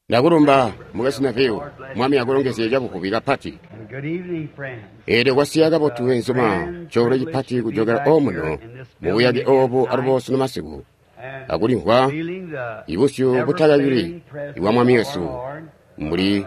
Ndakulumba, Mukwesu Neville. Mwami akulongezye cabuvubi kapati. Eelyo kwasiya kabotu benzuma, coolwe cipati kujokela omuno mubuyake obu alubo sunu masiku, akulimvwa ibusyu butakabili ibwa Mwami wesu mbuli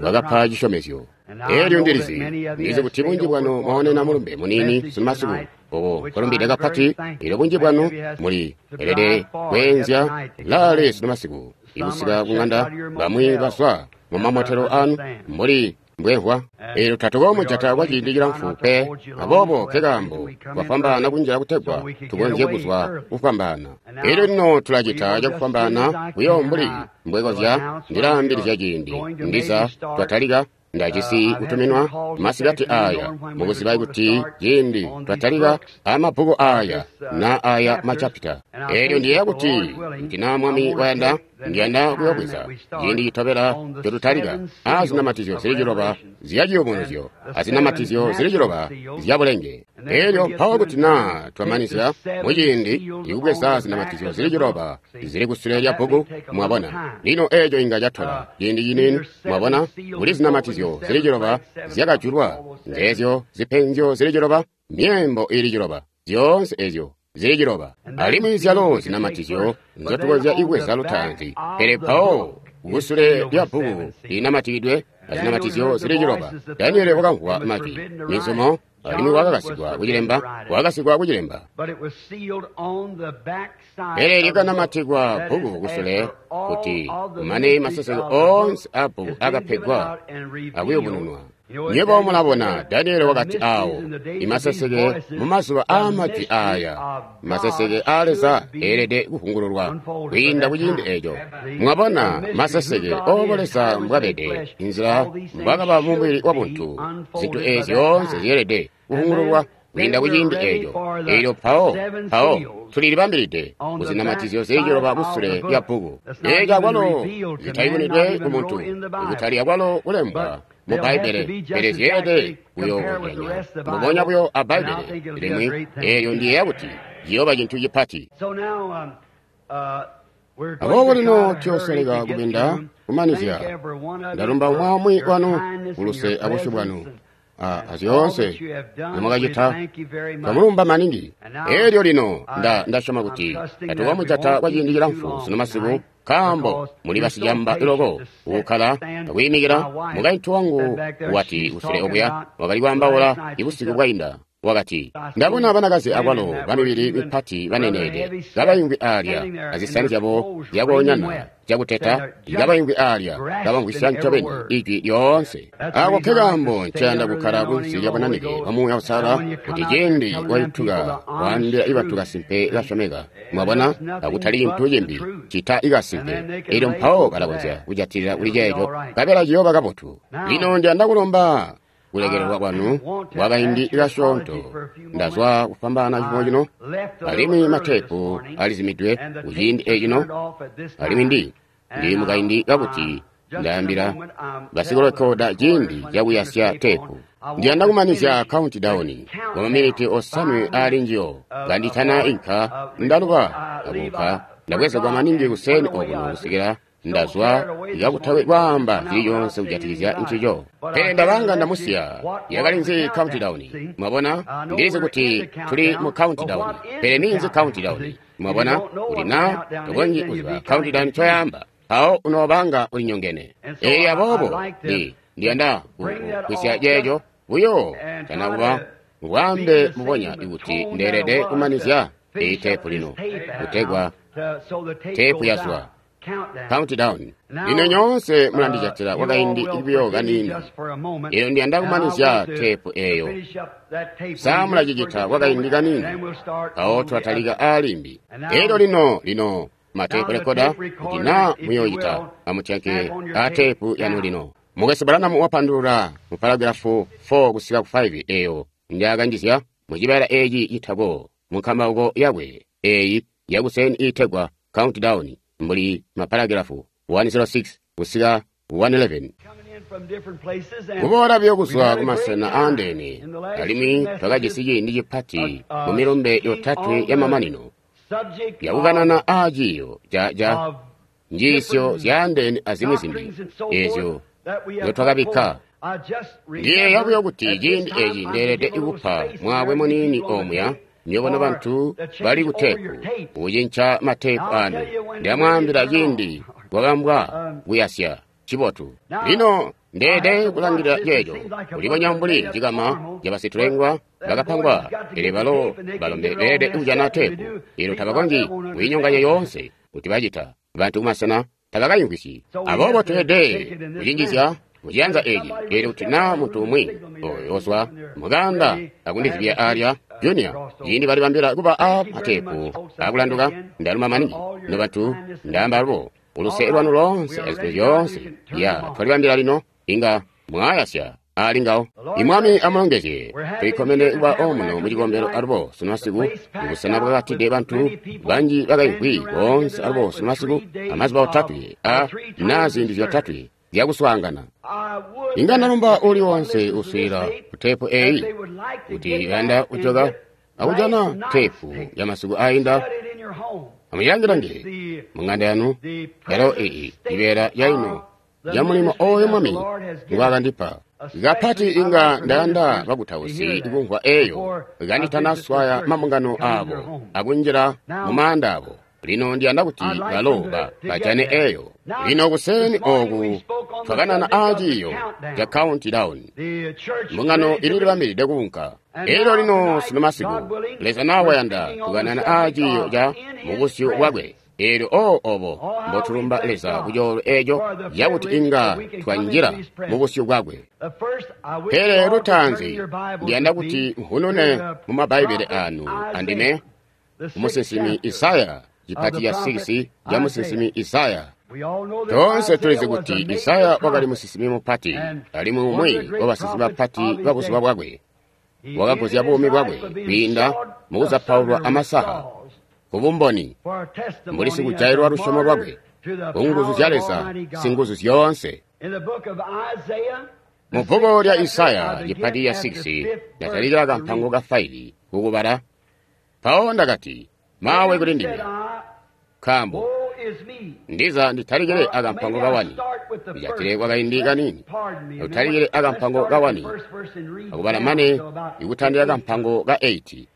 bwakapa cisyomezyo. Eelyo ndilizi, ndizi kuti bunji bwanu mwaonena mulumbe muniini sunu masiku, obo kwalumbide kapati. Eelyo bunji bwanu muli elede kweenzya laale sunu masiku ikusika kung'anda, bamwi bazwa mu mamotelo anu mbuli mbwemvwa. Eelyo tatukoomujata kwa ciindi cilamfu pe, aboobo nkekaambo twafwambaana kunjila kutegwa tukonzye kuzwa kufwambaana. Eelyo lino tulacita cakufwambaana buyo mbuli mbwekozya. Ndilaambilizya ciindi ndiza twatalika. Ndajisi kutuminwa masikati aya mukuziba kuti ciindi twatalika amabbuku aya na aya machapita. Eelyo ndiyeeya kuti ndina Mwami wayanda, ndiyanda kuyobweza ciindi citobela cotutalika azinamatizyo zili ciloba zyaciyubunuzyo azinamatizyo zili ciloba zyabulenge. Eelyo mpawo kuti na twamanizya muciindi ikubweza zinamatizyo zili ciloba zili kusule lya bbuku, mwabona. Lino eeco inga catola ciindi ciniini, mwabona, kuli zinamatizyo zili ciloba zyakajulwa, nzeezyo zipenzyo zili ciloba, myeembo ili ciloba, zyoonse ezyo zili ciloba. Alimwi zyalo zinamatizyo nzyotukonzya ibweza lutaanzi, pele mpawo kusule lya bbuku linamatikidwe azinamatizyo zili ciloba. Daniele wakamvwa majwi mizumo, alimwi wakakasigwa kucilemba, wakakasigwa kucilemba. Pele lyakanamatikwa bbuku kusule kuti kumane maseseke oonse a bbuku akapegwa akuyubununwa. Nywebo mulabona, Daniele wakati awo imaseseke mumazuba aamajwi aya, maseseke aa Leza eelede kuvungululwa kwiinda kuciindi eco. Mwabona maseseke obo Leza mbwabede, inzila mbwakaba mumubili wabuntu, zintu ezi zyoonse zyeelede kuvungululwa kwiinda kuciindi eco. Eelyo mpawo tulilibambilide kuzinamatizyo zili ciloba kusule lya bbuku. Eeco akwalo zitayubunwidwe ku muntu, ikutali akwalo kulembwa mu Bbaibbele, pele zyeelede kuyookozyanya mbubonya buyo a Bbaibbele limwi. Eelyo ndiyeeya kuti ciyooba cintu cipati. Aboobo lino tuyoosoleka kubinda kumanizya. Ndalumba umwi wanu kuluse abusyu bwanu azyoonse nzimwakacita. Twamulumba maningi. Eelyo lino ndasyoma kuti tatukoomujata kwa ciindi cilamfu sunu masiku, nkaambo muli basicamba loko kukkala akwiimikila. Mukaintu wangu wati kusule okuya wakali kwaambaula ibusiku bwainda, wakati, ndabona banakazi akwalo bamibili mipati baneneede kabaimvwi alya azisani zyabo zyakoonyana zyakuteta, kabaimvwi alya kabamvwisya ncobeni ijwi lyoonse. Ako nkekaambo ncayanda kukkala kunsi lya bunanike bwa Muuya Uusalala, kuti ciindi wayutuka waambila ibatu kasimpe kasyomeka, mwabona, akutali cintu cimbi cita ikasimpe. Eelyo mpawo balakonzya kujatilila kuli ceeco, nkabela ciyooba kabotu. Lino ndiyanda kulomba kulekelelwa kwanu kwa kaindi kasyoonto. Ndazwa kufwambaana cifumo cino, alimwi mateepu alizimidwe kuciindi ecino, alimwi ndi mukaindi kakuti ndaambila basikulekoda ciindi cakuyasya teepu. Ndiyanda kumanizya countdown kwa maminiti osanwe aali njiyo kanditana inka. Ndaluba akuka ndabwezegwa maningi kuseni okuno kusikila ndazwa kakutawe kwaamba cili conse kujatikizya ncico. Pele ndabanga ndamusiya yakali nzi countdown. Mwabona, ndilizi kuti tuli mu countdown, pele ninzi countdown? Mwabona, kuti na tokonzyi kuziba countdown coyamba, mpawo unoobanga ulinyongene. Eeyi aboobo ndiyanda kwisya ceeco buyo tanakuba ngwaambe mubonya ikuti ndeelede kumanizya eyi teepu lino kutegwa teepu yazwa countdown. Lino nyoonse mulandijatila kwakaindi buyo kaniini. Eelyo ndiyanda kumanizya teepu eeyo. Sa mulacicita kwakaindi kaniini, mpawo tulatalika aalimbi. Eelyo lino mateepu rekoda, kuti na muyoocita, amutyanke aateepu yanu lino. Mukwesu Branham wapandulula mu paragrafu 4 kusika ku 5 eeyo njaakanjizya mucibeela eeci citako mu nkambauko yakwe eeyi yakuseni iitegwa countdown, mbuli maparagrafu 106 kusika 111. Kuboola buyo kuzwa kumasena aandeene, alimwi twakajisi ciindi cipati mu milumbe yotatwe yamamanino yakukanana aaciiyo ca njiisyo zyaandeene azimwi zimbi ezyo nzyotwakabikka. Ndiyeeya buyo kuti ciindi eci ndeelede kupa mwaakwe muniini omuya nywebo nobantu bali ku teepu kucinca mateepu anu. Ndamwaambila ciindi kwakambwa kuyasya cibotu. Lino ndeelede kulangilila ceeco kulibonya mbuli cikama cabasitulengwa bakapangwa, pele balo balombe beelede kujana teepu eelyo tabakonzyi kuyinyonganya yoonse kuti bacita. Bantu kumasena tabakayimvwisyi. Aboobo tweelede kucinjizya muciyanza eci, eelyo kuti naa muntu umwi oyo ozwa mukanda akundizibya alya Junior, ciindi balibambila kuba a mateepu akulanduka, ndaluma maningi nobantu, ndaamba alubo uluse lwanu loonse azintu zyoonse ya twalibambila lino inga mwayasya ali ngawo. Imwami amulongezye. Tulikkomene kuba omuno mucikombelo alubo sunu masiku, mubusena bwakatide bantu banji bakaimvwi boonse alubo sunu masiku, amazuba otatwe a naa ziindi zyotatwe zyakuswaangana. Inga ndalumba uli wonse uswiila ku teepu eyi kuti bayanda kujoka akujana teepu ya masiku ainda, amuyilangilange mung'anda yanu yalo iyi ibeela yaino ya mulimo oyo Mwami ngwaakandipa. Kapati inga ndayanda bakutausi kumvwa eyo kanditanaswaya mabungano abo akunjila mumaanda abo. Lino ndiyanda kuti balo bajane eyo. Lino kuseni oku twakanana aaciiyo ca countdown. Mbungano ililibambilide kuunka. Elyo lino sunu masiku, Leza nawayanda tukanana aaciiyo ca mubusyu bwakwe. Elyo obo mbotulumba Leza kucoolwe eco cakuti inga twanjila mubusyu bwakwe. Pele lutaanzi ndiyanda kuti nkhunune mu mabbaibele anu andime musinsimi Isaya, cipati ca 6 ca musinsimi Isaya. Toonse tulizi kuti Isaya wakali musinsimi mupati, alimwi umwi wabasinsimi bapati babuzuba bwakwe. Wakaguzya buumi bwakwe kwiinda mukuzapaulwa amasaha kubumboni, mbuli sikujailwa lusyomo lwakwe kunguzu zya Leza singuzu zyoonse. Mu bbuku lya Isaya cipati ca 6 ndatalikila kampango ka 5 kukubala. Mpawo ndakati, mawe kuli ndime, nkaambo ndiza nditalikile akampango kawani, ndijatile kwakaindi kanini, utalikile akampango kawani akubala mane ikutandila kampango ka 8.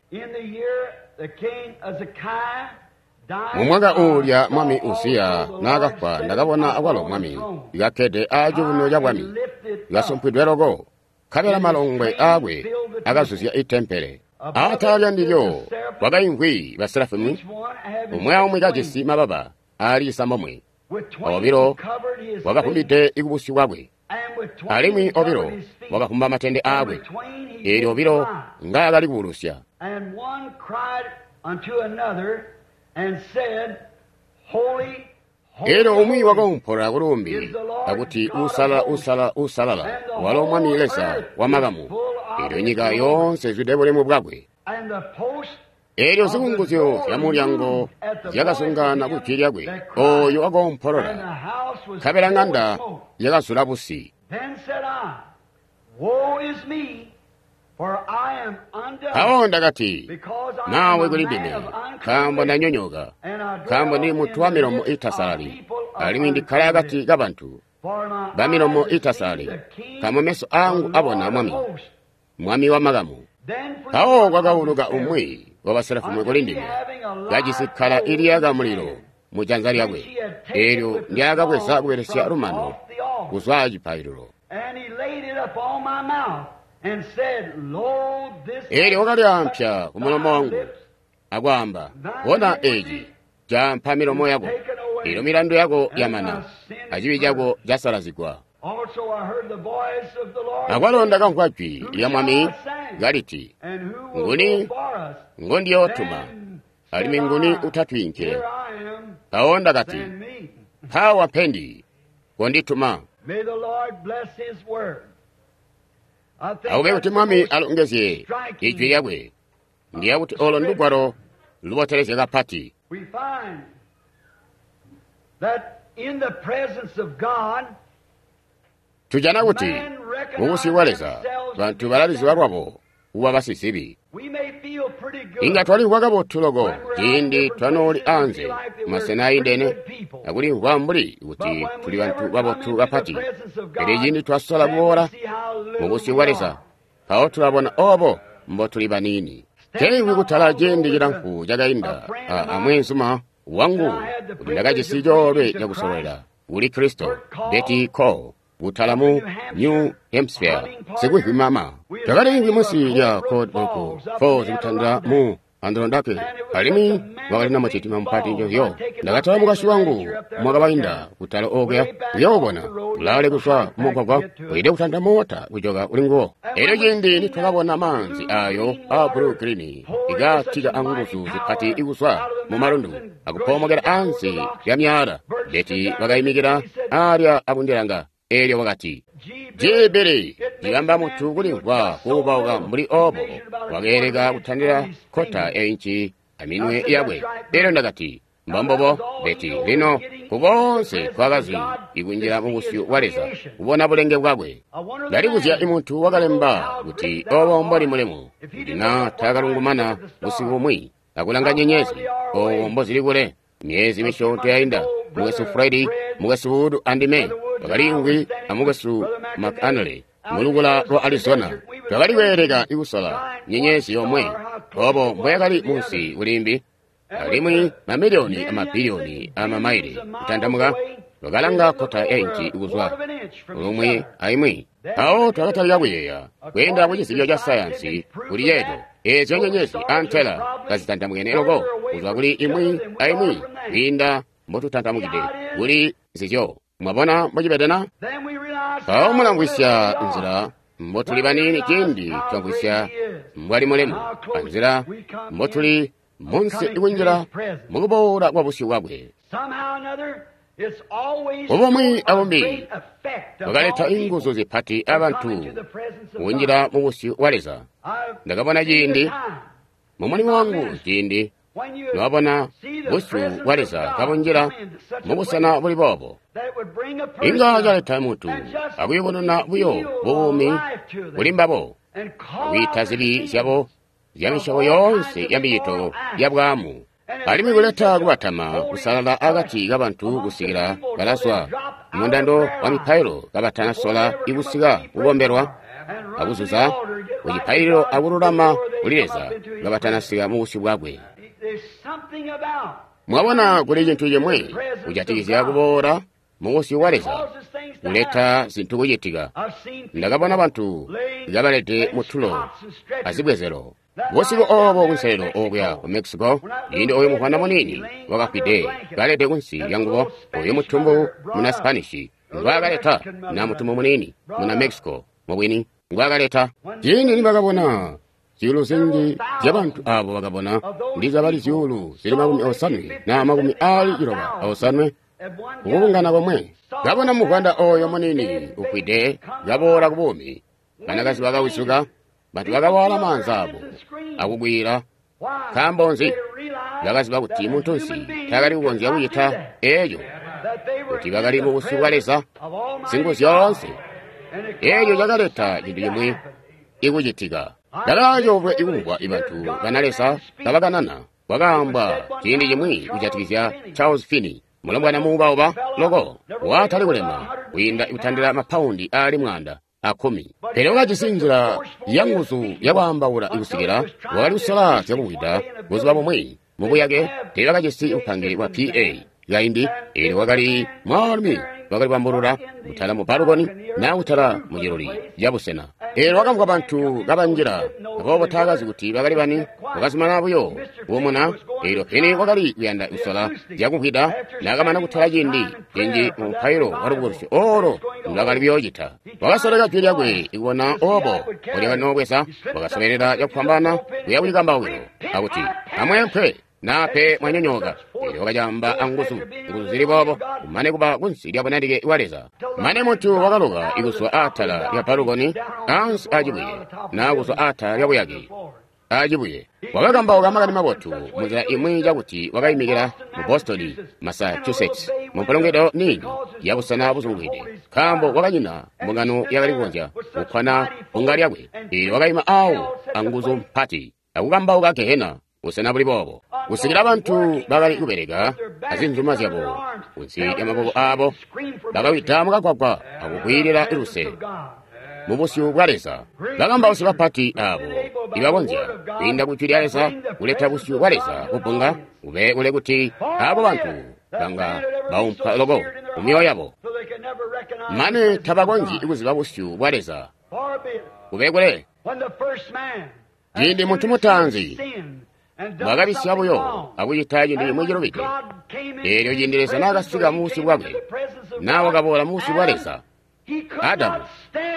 Mumwaka uulya mwami Uziya naakafwa, ndakabona akwalo mwami kakkede aacuuno ca bwami, kasumpwidwe loko, nkabela malongwe aakwe akazuzya itempele. Atala lyandilyo kwakaimvwi baserafimu, umwi aumwi kajisi mababa aali 9, obilo wakavumbide kubusyu bwakwe, alimwi obilo wakavumba matende aakwe, eelyo obilo ngaakali kuulusya. Eelyo umwi wakaumpola kulumbi akuti, usalala, usalala, usalala, walo Mwami Leza wamakamu, eelyo nyika yoonse izwide bulemu bwakwe. Eelyo zikunguzyo zyamulyango zyakazungaana kujwi lyakwe oyo wakoompolola, nkabela ŋanda yakazula busi. Mpawo ndakati, mawe kuli ndime, nkaambo ndanyonyoka, nkaambo ndili muntu wa milomo iitasalali, alimwi ndikkala akati kabantu bamilomo iitasalali, nkaambo meso aangu abona Mwami, Mwami wamakamu. Mpawo kwakauluka umwi wabaserafimu kuli ndime, kajisi kkala iliyaka mulilo mujanza lyakwe, eelyo ndyaakabweza kubelesya lumano kuzwa acipaililo. Eelyo wakalyampya kumulomo wangu akwaamba, bona eci caampa milomo yako, eelyo milandu yako yamana, acibi cako casalazigwa. Akwalo ndakamvwa jwi lya Mwami kaliti, nguni ngondiyootuma, alimwi nguni utatwiinkile? Mpawo ndakati, mpaawa mpendi, kondituma. Akube kuti Mwami alongezye ijwi lyakwe. Ndiya kuti olo ndugwalo lubotelezya kapati. Tujana kuti mubusyu bwa Leza bantu balaliziba lwabo kuba basizibi. Inga twalimvwa kabotu loko ciindi twanooli anze masena aindene akulimvwa mbuli kuti tuli bantu babotu kapati. Pele ciindi twasola kuboola mubusyu bwa Leza, mpawo tulabona obo mbotuli baniini. Teimvwi kutala ciindi cilamfu cakainda amweenzuma wangu kuti ndakajisi coolwe cakusololela kuli Kristo, Betty Cole, kutala mu New Hampshire, sikuhwimama. Twakaliimvwi munsi lya Cold Brook Falls kutandila mu Androndake, alimwi wakali na mucitima mupati njozyo. Ndakatala mukashi wangu mwaka wainda kutala okuya kuyoobona kulaale kuzwa mumugwagwa uyide kutanda mota kujoka uli nguwo. Elyo ciindi nitwakabona maanzi ayo a blue green ikatika anguzu zipati ikuzwa mu malundu akupomokera ansi lya myala, Beti wakayimikira alya akundilanga. Elyo wakati, Jibili ndikamba munthu kulimvwa kuubauka mbuli obo wakeeleka kutandila kota einci aminwe yakwe. Elyo ndakati, mbombobo Beti, lino kukonse twakazi ikunjila mubusyu bwa Leza kubona bulenge bwakwe. Ndalikuzya imuntu wakalemba kuti obo mboli mulemu, kuti na takalungumana busiku bumwi akulanga nyenyezi obo mbozili kule. Myezi misyoonto yainda, mukwesu Fredi, mukwesu Wood andime twakaliimvwi amukwesu McAnally mulukula lwa Arizona. Twakali kweeleka ikusola nyenyezi yomwe obo mbweyakali munsi kulimbi, alimwi mamiliyoni amabiliyoni amamaile kutandamuka. Twakalanga kota ya inci kuzwa lumwi aimwi. Mpawo twakatalika kuyeeya kweenda ku cizibyo ca sayansi kuli ceeco eezyo nyenyezi antela kazitandamukene loko kuzwa kuli imwi aimwi kwiinda mbotutantamukide kuli nzizyo. Mwabona mbocibedena? Mpawo mulamvwisya nzila mbotuli baniini ciindi twamvwisya mbwali mulemu, anzila mbotuli munsi ikunjila mukuboola kwa busyu bwakwe. Ubumwi abumbi bwakaleta inguzu zipati abantu kunjila mubusyu bwa Leza. Ndakabona ciindi mumulimo wangu ciindi nwabona busyu bwa Leza kabunjila mubusena buli boobo, inga caleta muntu akuyubununa buyo buumi buli mbabo, akwiita zibi zyabo zya misyobo yoonse ya micito ya bwaamu, alimwi kuleta kubatama kusalala akati kabantu kusikila balazwa mundando wa mipailo kabatanasola ikusika kukombelwa akuzuza kucipaililo akululama kuli Leza kabatanasika mubusyu bwakwe. Mwabona kuli cintu cimwi kujatikizya kuboola mubusyu bwa Leza kuleta zintu kucitika. Ndakabona bantu kabalede mutulo azibwezelo busiku obo kunselelo okuya ku Mexico, ciindi oyu muvwanda muniini wakafwide kalede kunsi lya ngubo, oyu mutumbu muna Spanish ngwaakaleta, na mutumbu muniini muna Mexico mubwini ngwaakaleta. Ciindi nibakabona zyuulu zinji zyabantu abo bakabona ndiza bali zyuulu zili 80 na 98 kukubungana komwe, kabona muvwanda oyo muniini ufwide kaboola ku buumi. Banakazi bakawizuka, bantu bakawala maanza abo akugwira. Nkaambo nzi? Bakaziba kuti muntunsi taakali kukonzya kucita eeco, kuti bakali mubusyu bwa Leza Singuzyoonse. Eeco cakaleta cintu cimwi ikucitika. Ndakaacoolwe ikumvwa ibantu bana Leza kabakanana. Kwakaambwa ciindi cimwi kujatikizya Charles Finney, mulombwana muubauba loko watali kulema kwiinda kutandila mapaundi aali 110, pele wakajisi nzila ya nguzu yakwaambaula ikusikila wakali kusola zyakumvwida. Buzuba bumwi mubuyake teebakajisi upange bwa PA kaindi, eelyo wakali mwaalumi wakali bambulula kutala mu balukoni naa kutala mu ciluli cabusena. Eelyo wakamvwa bantu kabanjila, aboobo taakazi kuti bakali bani. Wakazumana buyo kuumuna. Eelyo Finney wakali kuyanda kusola zyakumvwida. Naakamana kutala ciindi cinji mu mupailo wa lubukulusyo oolo ndwaakali kuyoocita, wakasoleka jwi lyakwe ikubona obo mbolyakanoobweza. Wakasolelela cakufwambaana kuya kucikambaukilo akuti, "Amweempwe nape mwanyonyooka." Eelyo wakacamba anguzu, nguzu zili boobo, kumane kuba kunsi lya bunanike bwa Leza. Mane muntu wakaloka ikuzwa aatala lya balukoni ansi acibuye, naa kuzwa aatala lya buyake acibuye. Wakakambauka makani mabotu munzila imwi cakuti wakayimikila mu Boston, Massachusetts, mu mpulungwido niini yabusena buzungwide, nkaambo wakanyina mbungano yakali kukonzya kukkwana bbunga lyakwe. Eelyo wakayima awo anguzu mpati. akukambauka gehena, busena buli boobo, kusikila bantu bakali kubeleka azinzuma zyabo kunsi lya maboko aabo, bakawida mukagwagwa akukwiilila luse mubusyu bwa Leza. Bakambausi bapati abo ibakonzya kwiinda ku jwi lya Leza kuleta busyu bwa Leza kubbunga kube kule kuti abo bantu banga baumpa loko mumyoyo yabo mane tabakonzyi kuziba busyu bwa Leza kube kule. Ciindi muntu mutaanzi bwakabisya buyo akucita cintu cimwi cilubide, eelyo ciindi Leza naakasika mubusyu bwakwe, naa wakaboola mubusyu bwa Leza, Adamu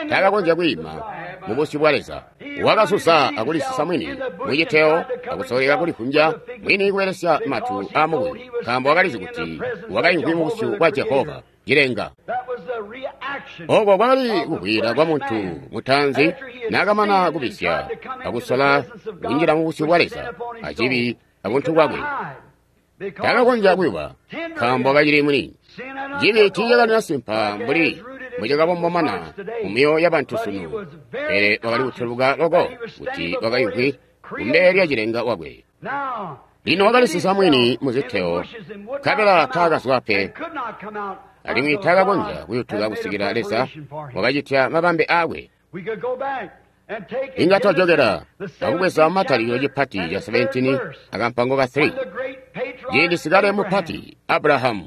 taakakonzya kwiima mubusyu bwa Leza. Wakasusa akulisisa mwini muciteyo akusoleka kulivunja mwini kubelesya matu aamukuyu, nkaambo wakalizi kuti wakaimvwi mubusyu bwa Jehova cilenga. Oko kwakali kuvwiila kwa muntu mutaanzi naakamana kubisya akusola kunjila mubusyu bwa Leza acibi abuntu bwakwe. Taakakonzya kuyuba nkaambo wakacili mwini. Cibi tiicakanina simpa mbuli mbwicakabombomana mumyoyo yabantu sunu, pele wakali kutweluka loko kuti wakaimvwi kumbele lya cilenga wakwe. Lino wakalisisa mwini muziteo, nkabela taakazwa pe, alimwi taakakonzya kuyutuka kusikila Leza wakacitya mabambe aakwe. Inga twajokela akubweza matalikilo cipati ca 17 akampango ka 3. Ciindi sikale mupati Abrahamu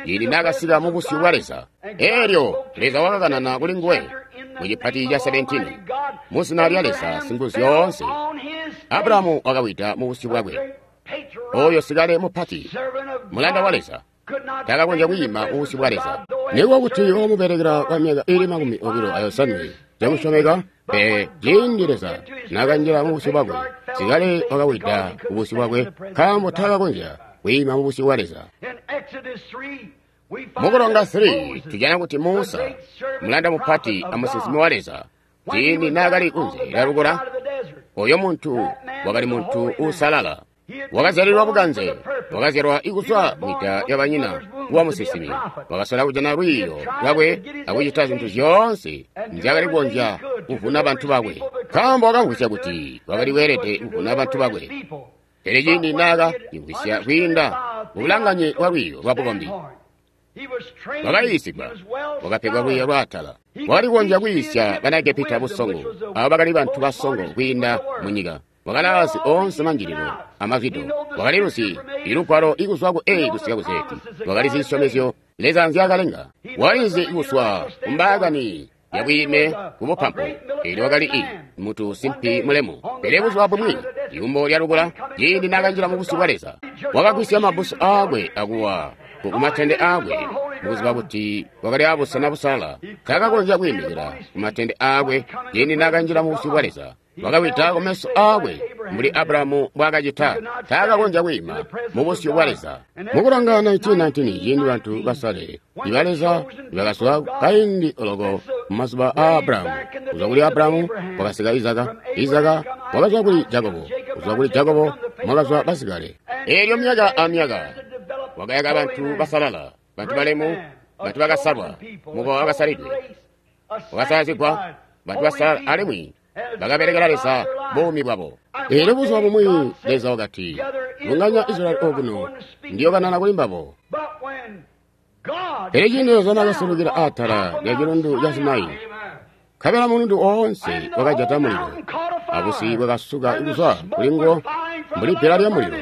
ciindi naakasika mubusyu bwa Leza, eelyo Leza wakakanana kuli nguwe mu cipati ca 17 muzina lya Leza Singuzyoonse. Abrahamu wakawida mubusyu bwakwe. Oyo sikale mupati mulanda wa Leza taakakonzya kwiima mubusyu bwa Leza, nikuba kuti wamubelekela kwa myaka ili 25 cakusyomeka. Pele ciindi Leza naakanjila mubusyu bwakwe, sikale wakawida mubusyu bwakwe, nkaambo taakakonzya kwiima mubusyu bwa Leza. Mukulonga 3 tujana kuti Musa, mulanda mupati amusinsimi wa Leza, ciindi naakali kunze lya lukula, oyo muntu wakali muntu uusalala. Wakazyalilwa bukanze, wakazyalwa ikuzwa mwida lyabanyina kuwa musinsimi. Wakasola kujana lwiiyo lwakwe akucita zintu zyoonse nzyaakali kukonzya kuvuna bantu bakwe, nkaambo wakamvwisya kuti wakali weelede kuvuna bantu bakwe. Pele ciindi naakacimvwisya kwiinda mubulanganye bwa lwiiyo lwa bukombi, wakayiisigwa, wakapegwa lwiiyo lwaatala. Wakali kukonzya kwiisya bana Egepita busongo, abo bakali bantu basongo kwiinda munyika. Wakalaazi oonse manjililo amazwido, wakaliluzi ilugwalo ikuzwa ku A kusika ku Z. Wakalizi zisyomezyo Leza nzyaakalenga, wakalizi kuzwa kumbaakani yabwiime kubupampu. Eelyo wakali i mutu simpi mulemu. Pele buzuba bumwi ikumbo lya lukula, ciindi naakanjila mubusyu bwa Leza, wakagwisya mabbusu aakwe akuwa kumatende aakwe, mukuziba kuti wakali abusena busalala. Taakakonzya kwiimikila kumatende aakwe ciindi naakanjila mubusyu bwa Leza. Wakawida kumeso aakwe mbuli Abrahamu mbwaakacita. Taakakonzya kwiima mubusyu bwa Leza. Mukulanga 1919 ciindi bantu basale iba Leza bakazwa kaindi oloko mumazuba aa Abrahamu. Kuzwa kuli Abrahamu kwakasika Izaka, Izaka wakazwa kuli Jakobo, kuzwa kuli Jakobo mwakazwa basikale. Eelyo myaka amyaka wakayaka bantu basalala, bantu balemu, bantu bakasalwa, mukowa wakasalidwe, wakasalazigwa, bantu basalala alimwi bakabelekela Leza buumi bwabo. Eelyo buzuba bumwi Leza wakati, bunganya Israyeli okuno, ndiyokanana kuli mbabo. Pele ciindi Leza naakasulukila atala lya cilundu ca Sinai, nkabela mulundu oonse wakajata mulilo, abusi bwakasuka kuzwa kuli nguwo mbuli bbila lya mulilo,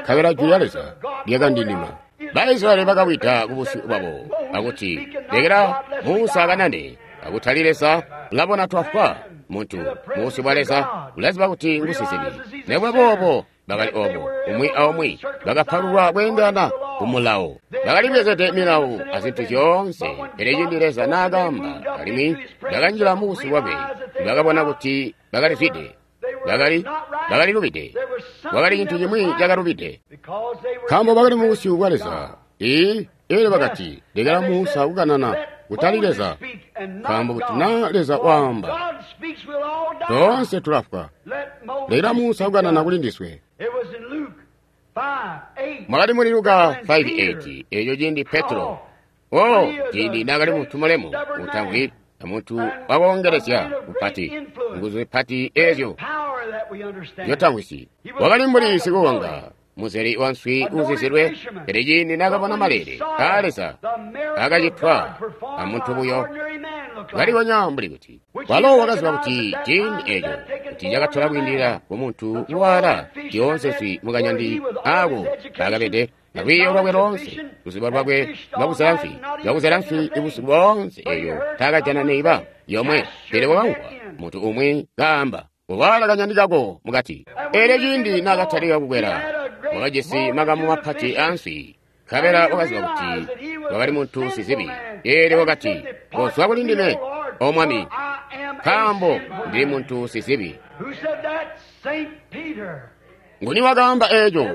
nkabela jwi lya Leza lyakandindima. Baisraeli bakawida kubusyu bwabo akuti, lekela Musa akanane, akutali Leza, ulabona twafwa. Muntu mubusyu bwa Leza ulaziba kuti ngusizibi. Nikuba boobo bakali obo umwi aumwi bakapalulwa kweendelana kumulawo, bakalibwezede milawo azintu zyoonse. Pele ciindi Leza naakaamba alimwi bakanjila mubusyu bwakwe, bakabona kuti bakalizwide, bakalilubide. Kwakali cintu cimwi cakalubide, nkaambo bakali mubusyu bwa Leza. Eelyo bakati, lekela Musa kukanana, kutali Leza, nkaambo kuti naa Leza waamba, toonse tulafwa. Lekela Musa kukanana kuli ndiswe. Mwakali muli Luka 5:8, eeco ciindi Petro, ciindi naakali muntu mulemu utamvwi, amuntu wakoongelezya kupati, nguzu zipati eezyo njotamvwisyi. Wakali mbuli sikuwanga, muzeli wa nswi uuzizilwe, pele ciindi naakabona maleele aa Leza akacitwa amuntu buyo, kalibonya mbuli kuti walo wakaziba kuti ciindi eeco kuti cakatola kwiindilila kumuntu kuwaala zyoonse nswi mukanyandi aako kaakabede, alwiiyo lwakwe loonse, luzibo lwakwe lwakuzela nswi, lwakuzela nswi busiku boonse eeyo taakajana neiba yomwe, pele wakamvwa muntu umwi kaamba, "Kuwaala kanyandi kako mukati." Eelyo ciindi naakatalika kukwela, wakajisi makamu mapati aanswi, nkabela wakaziba kuti wakali muntu sizibi. Eelyo wakati, "Kozwa kuli ndime, O Mwami, nkaambo ndili muntu sizibi." Nguni wakaamba eeco?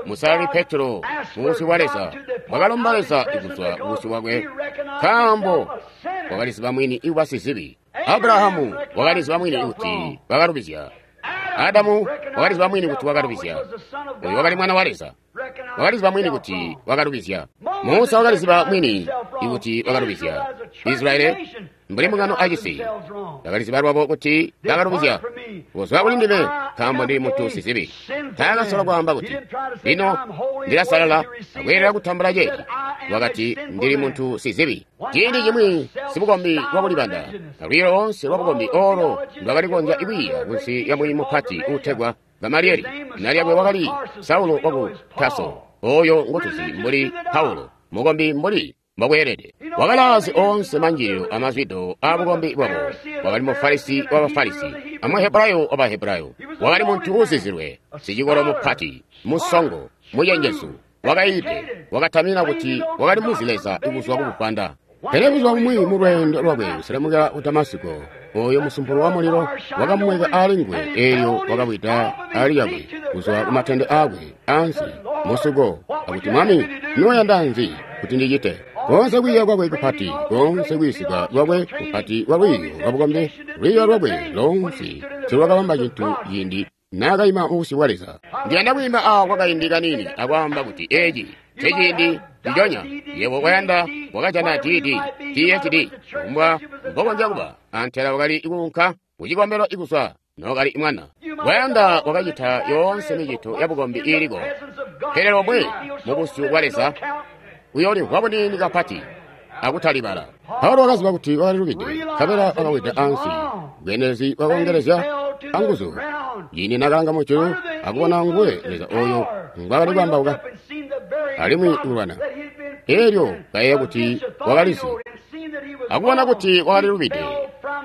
Musalali Petro, mubusyu bwa Leza, wakalomba Leza kuzwa kubusyu bwakwe, nkaambo wakaliziba mwini kuba sizibi. Abrahamu wakaliziba mwini kuti wakalubizya. Adamu wakaliziba mwini kuti wakalubizya. Uyu wakali mwana wa Leza. Wakaliziba mwini kuti wakalubizya. Musa wakaliziba mwini kuti wakalubizya. Israeli, mbuli mbungano acisi, bakaliziba lwabo kuti bakalubizya. "Kuzwa kuli ndime, nkaambo ndili muntu sizibi." Taakasola kwaamba kuti, "Lino ndilasalala akweelela kutambula ceeci." Wakati, "Ndili muntu sizibi." Ciindi cimwi sibukombi lwakulibanda, alwiiyo loonse lwabukombi oolo ndwakali kukonzya kwiiya kunsi lya mwiiyi mupati uutegwa Gamalieli, zina lyakwe wakali Saulo waku Taso, ooyo ngotuzi mbuli Paulo, mukombi mbuli mbokweelede. Wakalaazi oonse manjililo amazwido aabukombi bwabo. Wakali Mufarisi w'Abafarisi, a Muhebrayo w'Abahebrayo. Wakali muntu uuzizilwe, sicikolo mupati, musongo, mucenjezu, wakayiide, wakatamina kuti wakali muzi Leza kuzwa kubuvwanda. Pele buzuba bumwi mulweendo lwakwe kuselemukila ku Damasiko, ooyo musumpulo wa mulilo wakamweka aali nguwe, eelyo wakawida aali lyakwe kuzwa kumatende aakwe ansi musuko, akuti, "Mwami, noyanda nzi kuti ndicite?" Koonse kwiiya kwakwe kupati, koonse kwiisika lwakwe kupati lwa lwiiyo lwabukombi, lwiiyo lwakwe loonse tiilwakabamba cintu ciindi naakaima mubusyu bwa Leza. Ndiyanda kwiima awa kwakaindi kaniini akwaamba kuti eci nceciindi nciconya yebo kwayanda wakajana DD, PhD, kufumbwa mbokonzya kuba, antela wakali kuunka kucikombelo kuzwa nookali mwana. Kwayanda wakacita yoonse micito yabukombi iiliko, pele lomwe mubusyu bwa Leza uyoolimvwa buniini kapati akutalibala. Paulo wakaziba kuti wakalilubide, nkabela wakawida ansi. Bweendelezi bwakoongelezya anguzu ciindi nakalanga mujulu akubona nguwe Leza ooyo ngwaakali kwaambauka alimwi kulwana. Eelyo kayeeya kuti wakalizi, akubona kuti wakalilubide,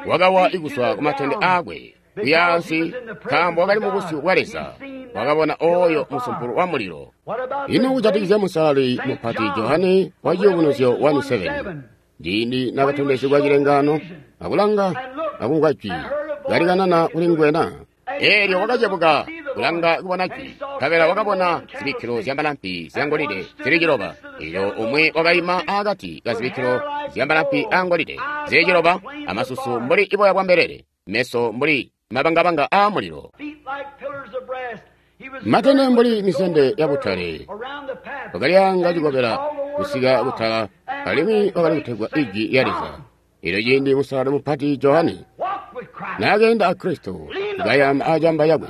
wakawa kuzwa kumatende aakwe kuya ansi, nkaambo wakali mubusyu bwa Leza, wakabona ooyo musumpulo wa mulilo. Ino kujatikizya musalali mupati Johane wa Ciyubunuzyo 1:7, ciindi nakatondezegwa cilengaano, akulanga akumvwa jwi kalikanana kuli nguwe na? Eelyo wakacebuka kulanga kubona jwi, nkabela wakabona zibikkilo zyamalampi zyangolide zili ciloba. Eelyo umwi wakaima akati kazibikkilo zyamalampi aangolide zili ciloba, amasusu mbuli iboya bwa mbelele, meso mbuli mabangabanga aamulilo, matende mbuli misende yabutale. Wakalyanga cikobela kusika kutala, alimwi wakali kutegwa Ijwi lya Leza. Eelyo ciindi musalali mupati Johane naakeenda a Kristo kayama acamba yakwe,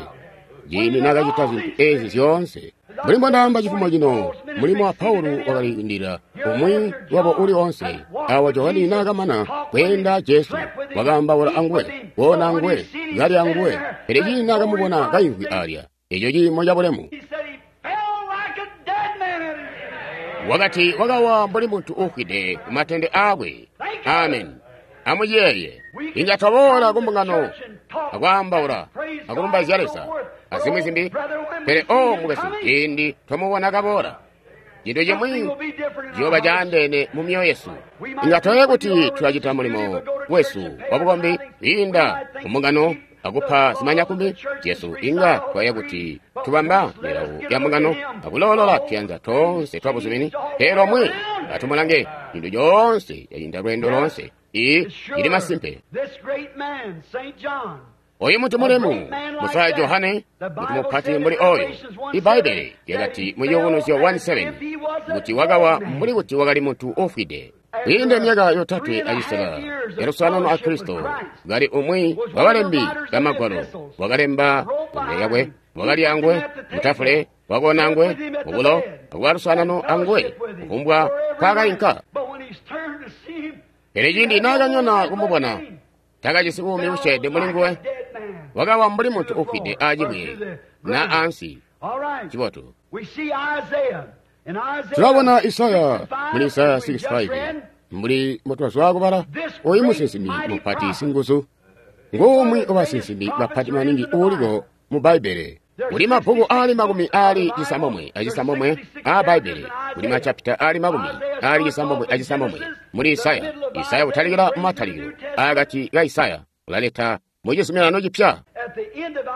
ciindi naakacita zintu eezi zyoonse, mbuli mbondaamba cifumo cino, mulimo wa Paulo wakali kwiindilila umwi wabo uli oonse. Awa Johane naakamana kweenda Jesu, wakaambaula anguwe, koona anguwe, kalya anguwe, pele ciindi naakamubona kaimvwi alya, eco ciimo cabulemu, wakati wakawa mbuli muntu uufwide kumatende aakwe. Amen. Amuciyeeye. Inga twaboola kumbungano akwaambaula akulumbaizya Leza azimwi zimbi, pele o mukwesu, ciindi twamubona kaboola, cintu cimwi ciyooba caandeene mu myoyo yesu. Inga twayeeya kuti tulacita mulimo wesu wabukombi kwiinda kumbungano akupa zimanyakumbi zyesu. Inga twayeeya kuti tubamba milawo ya mbungano akuloolola tuyanza toonse twabuzumini, pele lomwe atumulange, cintu coonse cacinda lweendo loonse. Iyi ili masimpe. Oyu muntu mulemu, musalali Johane, muntu mupati mbuli oyo. Ibbaibbele lyakati mu Ciyubunuzyo 1:7 kuti wakawa mbuli kuti wakali muntu ufwide. Kwiinde myaka 3 acisela yalusanano a Kristo, kali umwi wabalembi bamagwalo, wakalemba kumbele yakwe, wakali angwe mutafule, wakoona angwe mubulo, akuba lusanano anguwe kufumbwa nkaakainka. Pele ciindi naakanyona kumubona, takajisi buumi busyeede muli nguwe, wakawa mbuli muntu ufwide aacibwe na ansi. Cibotu. Tulabona Isaya muli Isaya 65 mbuli mbotwazwa kubala, oyu musinsimi mupati singuzu ngumwi wabasinsimi bapati maningi uuliko mu Bbaibbele. Kuli mabbuku aali 96 aa Bbaibbele, kuli machapita aali 96 muli Isaya. Isaya kutalikila mumatalikilo akati ka Isaya ulaleta mu Cizuminano Cipya.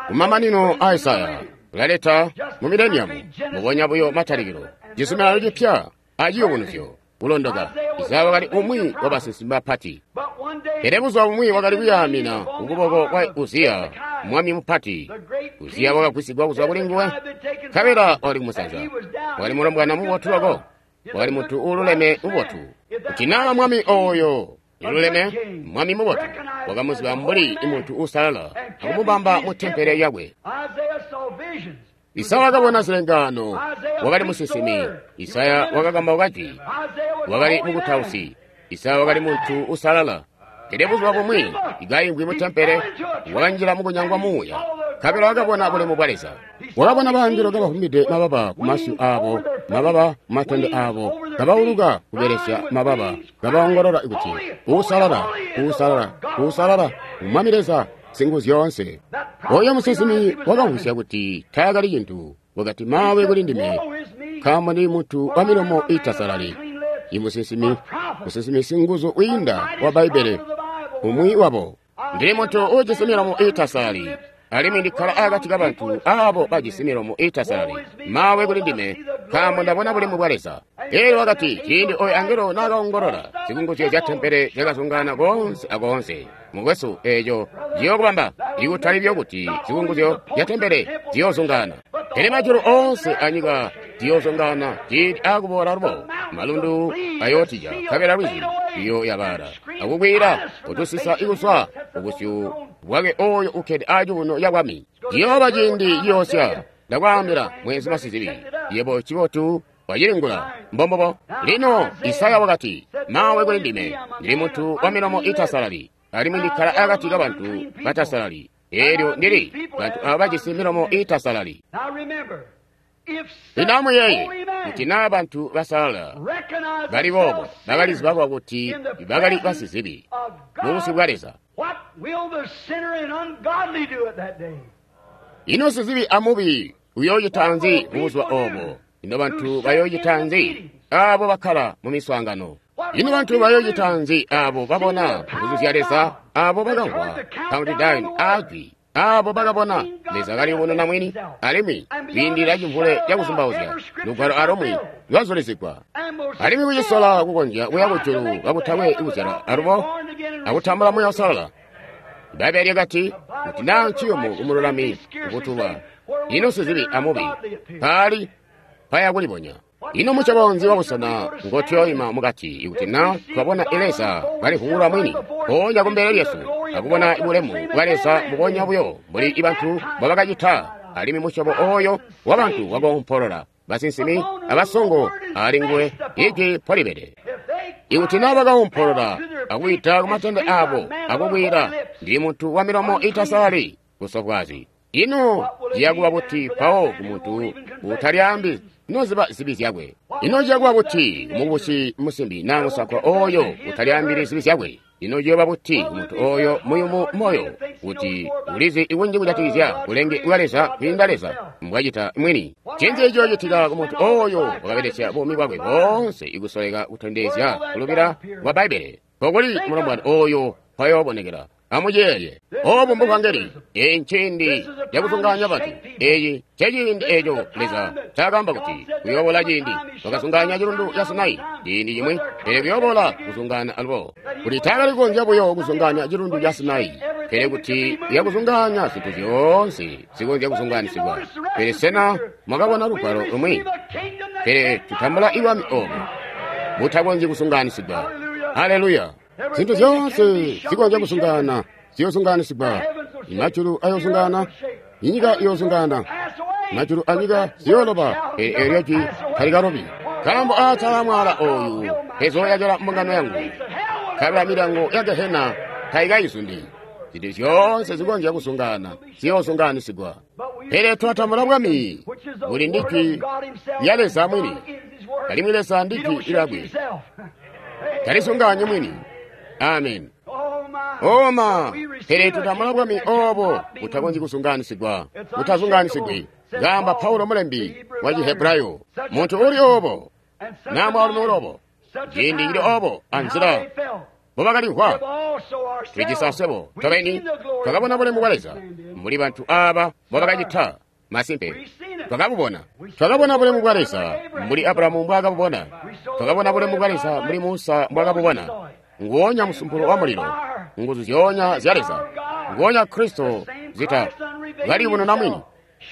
Kumamanino a Isaya ulaleta mu mileniamu, mubonya buyo matalikilo, Cizuminano Cipya aciyubunuzyo kulondoka. Isaya wakali umwi wabasinsimi bapati. Pele buzuba bumwi wakali kuyaamina kukuboko kwa Uziya, mwami mupati. Uziya wakagwisigwa kuzwa kuli nguwe, nkabela wakali kumusanza. Wakali mulombwana mubotu loko, wakali muntu uululeme mubotu. Kuti naa mwami oyo ululeme, mwami mubotu, wakamuziba mbuli muntu uusalala akumubamba mu tempele yakwe. Isaya wakabona zilengaano, wakali musinsimi. Isaya wakakambauka jwi, wakali mukutausi. Isaya wakali muntu uusalala. Pele buzuba bumwi kaimvwi mu tempele, wakanjila mukunyangwa muuya, nkabela wakabona bulemu bwa Leza. Wakabona bangelo kabavumbide mababa kumasyu aabo, mababa kumatende aabo, kabauluka kubelesya mababa, kabaongolola kuti, "Uusalala, uusalala, uusalala, Mwami Leza Singuzyoonse." Oyo musinsimi wakamvwisya kuti taakali cintu, wakati, "Mawe kuli ndime, nkaambo ndili muntu wa milomo iitasalali." Imusinsimi, musinsimi singuzu wiinda wa Bbaibbele, umwi wabo. Ndili muntu uujisi milomo iitasalali, alimwi ndikkala akati kabantu aabo bajisi milomo iitasalali. Mawe kuli ndime, nkaambo ndabona bulemu bwa Leza. Elyo wakati, ciindi oyo angelo naakaongolola, zikunguzyo zya tempele zyakazungaana koonse akoonse. Mukwesu, eeco ciyookubamba, ikutali buyo kuti zikunguzyo zya tempele ziyoozungaana, pele majulu oonse anyika ziyoozungaana ciindi aakuboola lubo. Malundu ayootija, nkabela lwizi luyooyabaala akukwiila kutusisa ikuzwa kubusyu bwake oyo ukkede acuuno cabwami. Ciyooba ciindi ciyoosya. Ndakwaambila, mwezi masizibi, yebo cibotu wacilingula. Mbombobo. Lino Isaya wakati, "Mawe kuli ndime, ndili muntu wa milomo iitasalali, alimwi ndikkala akati kabantu batasalali. Elyo ndili bantu aaba bajisi milomo iitasalali." Lino amuyeeye kuti naa bantu basalala bali boobo bakaliziba kuti bakali basizibi mubusyu bwa Leza. Ino sizibi amubi uyoocita nzi mubuzuba oobo? Ino bantu bayoocita nzi aabo bakkala mu miswaangano? Ino bantu bayoocita nzi aabo babona nguzu zya Leza, aabo bakamvwa countdown aajwi, aabo bakabona Leza kaliyubununa mwini, alimwi kwiindila cimvule cakuzumbauzya lugwalo alumwi lwazulizigwa, alimwi kucisola kukonzya kuya kujulu kakutakwe kuzyalwa alubo akutambula Muuya Uusalala? Bbaibbele lyakati, kuti naa nciyumu kumululami kukutuba, ino sizibi amubi paali paya kulibonya. Ino musyobo nzi wabusena ngotuyooima mukati ikuti naa twabona Leza kalivungulula mwini mpoonya kumbele lyesu akubona bulemu bwa Leza mbubonya buyo mbuli bantu mbobakacita, alimwi musyobo ooyo wabantu wakoompolola basinsimi abasongo ali nguwe ijwi mpolibede. Ikuti naa bakaompolola akuwida kumatende aabo akukwiila, "Ndili muntu wa milomo iitasalali busofwaazi," ino ciyakuba buti mpawo kumuntu utalyaambi noziba zibi zyakwe? Ino ciyakuba buti kumukubusi musimbi naa musakwa ooyo utalyaambili zibi zyakwe? Ino ciyooba buti kumuntu ooyo muyumu moyo kuti ulizi ikunji kujatikizya bulenge bwa Leza kwiinda Leza mbwacita mwini? Ncinzi ciyoocitika kumuntu ooyo wakabelesya buumi bwakwe boonse ikusoleka kutondezya kulubila kwa Bbaibbele? Nkokuli mulombwana ooyo mpayoobonekela. Amuyeeye, oobu mbuvangeli. Eeci nciindi cakuzungaanya bantu. Eeci nceciindi eeco Leza ncaakaamba kuti kuyoobola ciindi wakazungaanya cilundu ca Sinai ciindi cimwi, pele kuyoobola kuzungaana alubo. Kuti taakali kukonzya buyo kuzungaanya cilundu ca Sinai, pele kuti uyakuzungaanya zintu zyoonse zikonzya kuzungaanisigwa. Pele sena mwakabona lugwalo lumwi? Pele tutambula ibwami oobu butakonzyi kuzungaanisigwa. Aleluya! Zintu zyoonse zikonzya kusungana ziyozunganisigwa. Majulu ayozungana, inyika iyozungana, majulu anyika ziyoloba, pele eelyo jwi talikalobi. Nkaambo aatala mwala ooyu mpezoyakila mbungano yangu, nkabela milyango ya gehena tayikayizundi. Zintu zyoonse zikonzya kusungana ziyozunganisigwa. Pele twatambula bwami buli ndi jwi lya Leza mwini, alimwi Leza ndi jwi lyakwe, talisunganyi mwini. Amen. Oma, pele tutambula bwami obo butakonzyi kusunganisigwa, butazunganisigwi. Ngamba Paulo mulembi wa Chihebrayo, muntu uli obo, na mwaalumi uli obo, ciindi cili obo anzila mbobakalimvwa. Tulijisi aswebo tobeni twakabona bulemu bwa Leza mbuli bantu aaba mbobakacita. Masimpe twakabubona. Twakabona bulemu bwa Leza mbuli Abrahamu mbwaakabubona. Twakabona bulemu bwa Leza mbuli Musa mbwaakabubona. Nguonya musumpulo wa mulilo, nguzu zyoonya zya Leza, nguonya Kristo zita kaliyubununa mwini,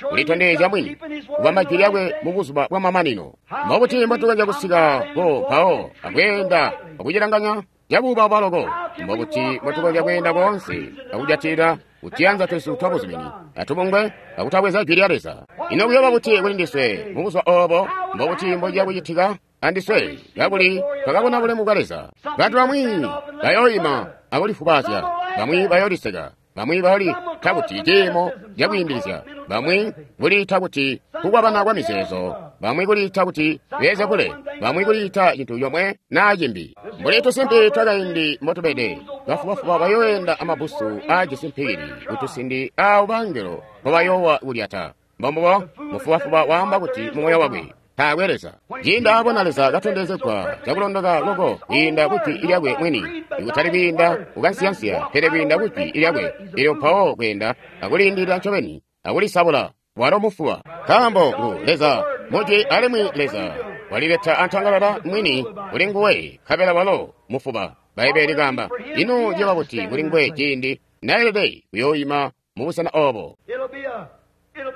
kulitondezya mwini, kubamba jwi lyakwe mu buzuba bwa mamanino. Mbobuti mbotukonzya kusika ko mpawo akweenda akucilanganya cabuubauba loko? Mbobuti mbotukonzya kweenda koonse akujatilila kutiyanza twesu twabuzumini atubungwe akutabweza jwi lya Leza? Ino kuyooba buti kuli ndiswe mu buzuba oobo? Mbobuti mbociya kucitika andiswe kakuli twakabona bulemu bwa Leza? Bantu bamwi bayooima akulifubazya, bamwi bayooliseka, bamwi bayolita kuti ciimo cakwiindilizya, bamwi kuliita kuti kukwabana kwa mizeezo, bamwi kuliita kuti Beelzebule, bamwi kuliita cintu comwe naa cimbi. Mbuli tusimpi twakaindi mbotubede, bafubafuba bayooenda amabbusu aajisi mpikili kutusindi aawo bangelo mpobayoowa kulyata. Mbombubo mufubafuba waamba kuti mumoyo wakwe, taakwe Leza. Ciindi aabona Leza katondezegwa cakulondoka loko kwiinda kujwi lyakwe mwini, ikutali kwiinda kukansiyansiya, pele kwiinda kujwi lyakwe, elyo mpawo kweenda akulindilila ncobeni akulisabula, walo mufuba. Nkaambo ngu Leza mujwi alimwi Leza walileta antangalala mwini kuli nguwe, nkabela walo mufuba. Bbaibbele likaamba, ino ciyooba buti kuli nguwe ciindi nayelede kuyooima mubusena oobo?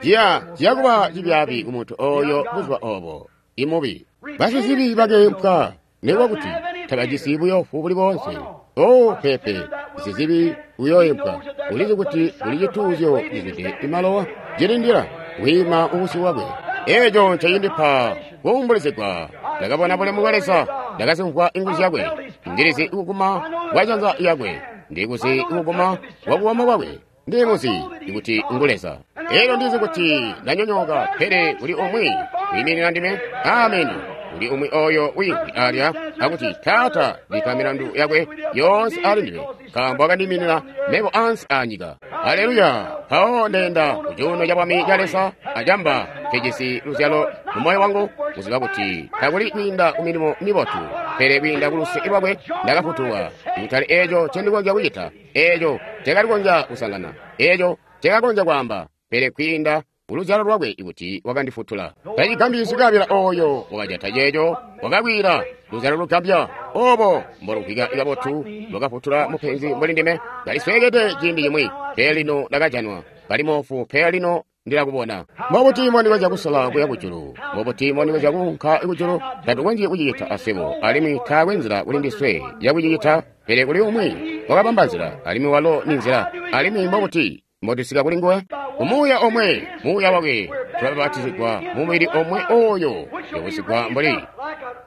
Ciya kuba cibyaabi kumuntu ooyo buzuba oobo, imubi. Basizibi bakeempwa nikuba kuti tabajisi buyoofu buli boonse. Oh, peepe, sizibi uyooempwa. Ulizi kuti kuli cituuzyo cizwide imalowa cilindila kwiima ubusyu bwakwe. Eeco ncecindipa kuumbulizigwa. Ndakabona bulemu bwa Leza, ndakazimvwa inguzu zyakwe. Ndilizi kuguma kwa janza lyakwe, ndikuzi kuguma kwa kuboko kwakwe. Ndimuzi kuti ngu Leza. Elyo ndizi kuti ndanyonyooka, pele kuli umwi wiiminina ndime. Ameni. Kuli umwi oyo wiimvwi alya akuti, Taata, bikka milandu yakwe yoonse ali ndime, nkaambo wakandiiminina mebo ansi aanyika. Aleluya! Mpawo ndeenda ku cuuno ca bwami ca Leza acamba nkejisi luzyalo mu moyo wangu, kuziba kuti takuli kwiinda ku milimo mibotu, pele kwiinda ku luse lwakwe ndakafutulwa. Kutali eeco ncendikonzya kucita, eeco ncekalikonzya kusangana, eeco ncekakonzya kwaamba, pele kwiinda kuluzyalo lwakwe kuti wakandifutula. Tacigambyi sikabila ooyo wakajata ceeco wakakwiila luzyalo lugambya obo mbolumvwika kabotu lwakafutula mupenzi mbuli ndime. Ndalisweekede ciindi cimwi, pele lino ndakajanwa. Kali moofu, pele lino ndilakubona. Mbobuti mbondikonzya kusola kuya kujulu? Mbobuti mbondikonzya kuunka kujulu? Tatukonzyi kucicita aswebo, alimwi taakwe nzila kuli ndiswe yakucicita, pele kuli umwi wakabamba nzila, alimwi walo ni nzila. Alimwi mbobuti mbotusika kuli nguwe? Umuuya omwe, muuya wakwe, tulabapatizigwa mumubili omwe oyo uyobusigwa mbuli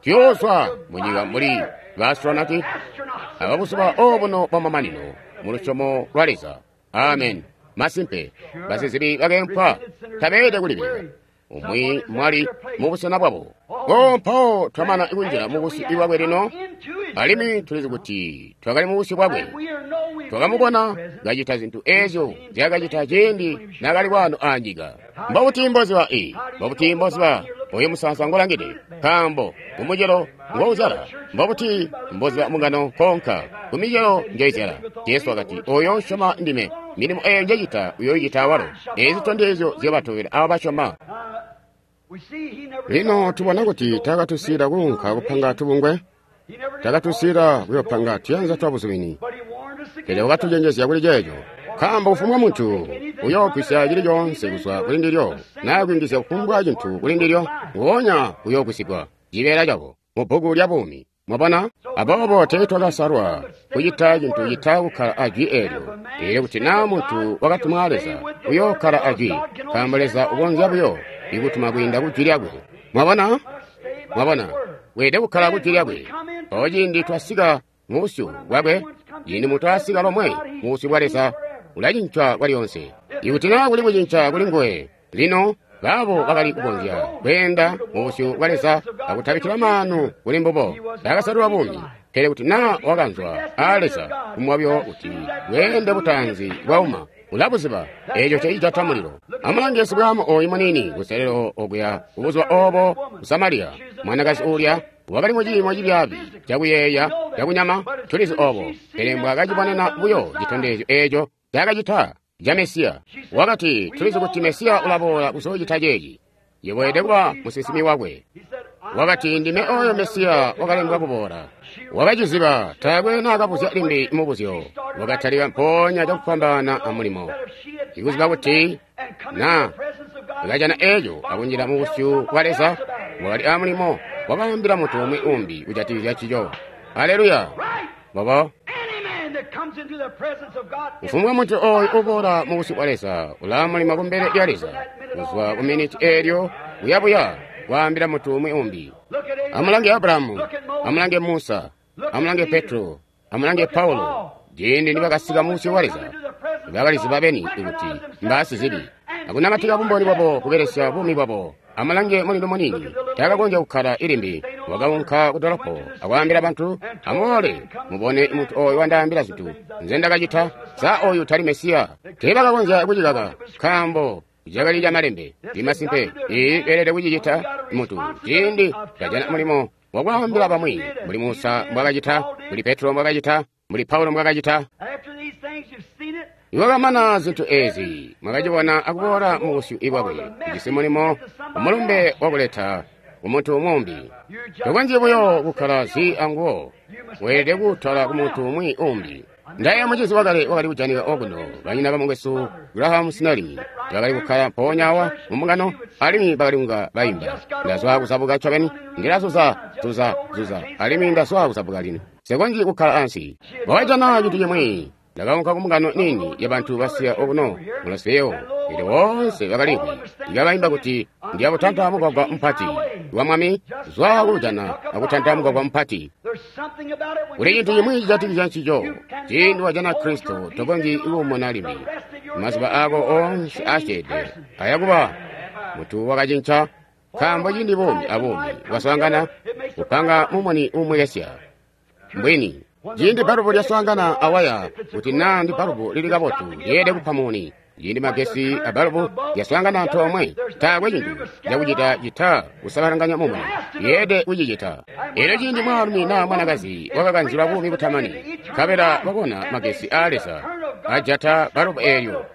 tuyoozwa munyika mbuli baastronati ababuzuba obuno bwamamanino mu lusyomo lwa Leza. Amen. Masimpe, basizibi bakeempwa tabeelede kulibilika. Umwi mwali mubusena bwabo. O mpawo twamana kunjila mubusyu bwakwe lino, alimwi tulizi kuti twakali mubusyu bwakwe. Twakamubona kacita zintu eezyo nzyaakacita ciindi naakali kwano aanyika. Mbobuti mboziba i? Mbobuti mboziba oyo musaansa ngolangide? Nkaambo kumucelo ngouzyala. Mbobuti mboziba mungano nkoonka kumicelo njoizyala? Jesu wakati, oyo usyoma ndime, milimo eyo njecita uyoicita awalo. Eezi zitondezyo ziyoobatobela aabo basyoma. Lino tubona kuti taakatusiila kuunka kupanga tubungwe, taakatusiila kuyoopanga tuyanza twabuzumini, pele wakatucenjezya kuli ceeco. Nkaambo kufumbwa muntu uyoogwisya cili coonse kuzwa kuli ndilyo, naa kuyungizya kufumbwa cintu kuli ndilyo, nguonya uyoogwisigwa cibeela cabo mubbuku lya buumi. Mwabona? Aboobo teetwakasalwa kucita cintu cita kukkala a Jwi eelyo. Eelyo kuti naa muntu wakatumwa a Leza, uyookkala a Jwi, nkaambo Leza ukonzya buyo ikutuma kwiinda ku Jwi lyakwe. Mwabona? Mwabona? Weelede kukkala ku Jwi lyakwe. Mpawo ciindi twasika mu busyu bwakwe, ciindi muntu asika lomwe mu busyu bwa Leza, ulacinca kwalyonse. Ikuti naa kuli kucinca kuli nguwe, lino baabo bakali kukonzya kweenda mu busyu bwa Leza akutabikkila maanu kuli mbubo, bakasalilwa buumi. Pele kuti naa wakanzwa aa Leza kumwa buyo kuti bweende butaanzi bwauma, ulabuziba eeco ncecijata mulilo. Amulange sibwaamu ooyu muniini kuselelo okuya kubuzuba oobo ku Samariya, mwanakazi uulya wakali mu ciimo cibyaabi cakuyeeya cakunyama, tulizi oobo. Pele mbwaakacibonena buyo citondezyo eeco ncaakacita ca Mesiya, wakati, tulizi kuti Mesiya ulaboola kuzoocita ceeci. Yebo weelede kuba musinsimi wakwe. Wakati, ndime ooyo Mesiya wakalembwa kuboola. Wakaciziba, taakwe naakabuzya limbi mubuzyo. Wakatalika mpoonya cakufwambaana amulimo. Ikuziba kuti naa akajana eeco akunjila mu busyu bwa Leza, wakali amulimo wakaambila muntu umwi umbi kujatikizya ncico. Aleluya! Bobo. Kufumbwa muntu ooyu uboola mu busyu bwa Leza ulaa mulimo kumbele lya Leza, kuzwa ku miniti eelyo kuyabuya kwaambila muntu umwi umbi. Amulange Abrahamu, amulange Musa, amulange Petro, amulange Paulo. Ciindi nibakasika mu busyu bwa Leza, bakaliziba beni kuti mbaasizibi, akunamatika bumboni bwabo kubelesya buumi bwabo. Amulange mulilo muniini, taakakonzya kukkala ilimbi. Wakaunka ku dolopo akwaambila bantu, amuboole mubone muntu ooyu wandaambila zintu nze ndakacita. Sa ooyu tali Mesiya? Teebakakonzya kucikaka, nkaambo cakali camalembe. Imasimpe, ii beelede kucicita muntu ciindi kajana mulimo wakwaambila bamwi, mbuli Musa mbwakacita, mbuli Petro mbwakacita, mbuli Paulo mbwakacita. Niwakamana zintu eezi, mwakacibona akuboola mu busyu bwakwe, ujisi mulimo amulumbe wakuleta kumuntu umbi. Tokonzyi buyo kukkala zi anguwo, weelede kuwutwala kumuntu umwi umbi. Ndayeeya mucizi wakale wakali kujanika okuno, banyina bamukwesu Graham Snelling, bakali kukkala mpoonya awa mu mbungano, alimwi bakali kunga baimba. Ndazwa kuzabuka ncobeni, ndilazuza, zuza, zuza, alimwi ndazwa kuzabuka lino. Nsikonzyi kukkala ansi. Wakajana cintu cimwi. Ndakaunka ku mbungano niini yabantu basiya okuno mu Louisville, eelyo boonse bakaliimvwi kabaimba kuti, Ndiya butanta mugwagwa mupati wa Mwami, zwa kuujana akutanta mugwagwa mupati. Kuli cintu cimwi cijatikizya ncico. Ciindi wajana Kristo, tokonzyi kuumuna limbi. Mazuba aako oonse aasyeede ayakuba muntu wakacinca, nkaambo ciindi buumi abuumi bwaswaangana, kupanga mumuni uumwekesya. Mbwini. Ciindi balubu lyaswaangana awaya, kuti naa ndi balubu lili kabotu, lyeelede kupa muni. Ciindi magesi a balubu lyaswaangana antoomwe, taakwe cintu cakucita cita kusabalanganya mumuni. Lyeelede kucicita. Elyo ciindi mwaalumi naa mwanakazi wakakanzilwa buumi butamani, nkabela wabona magesi aa Leza ajata balubu eelyo,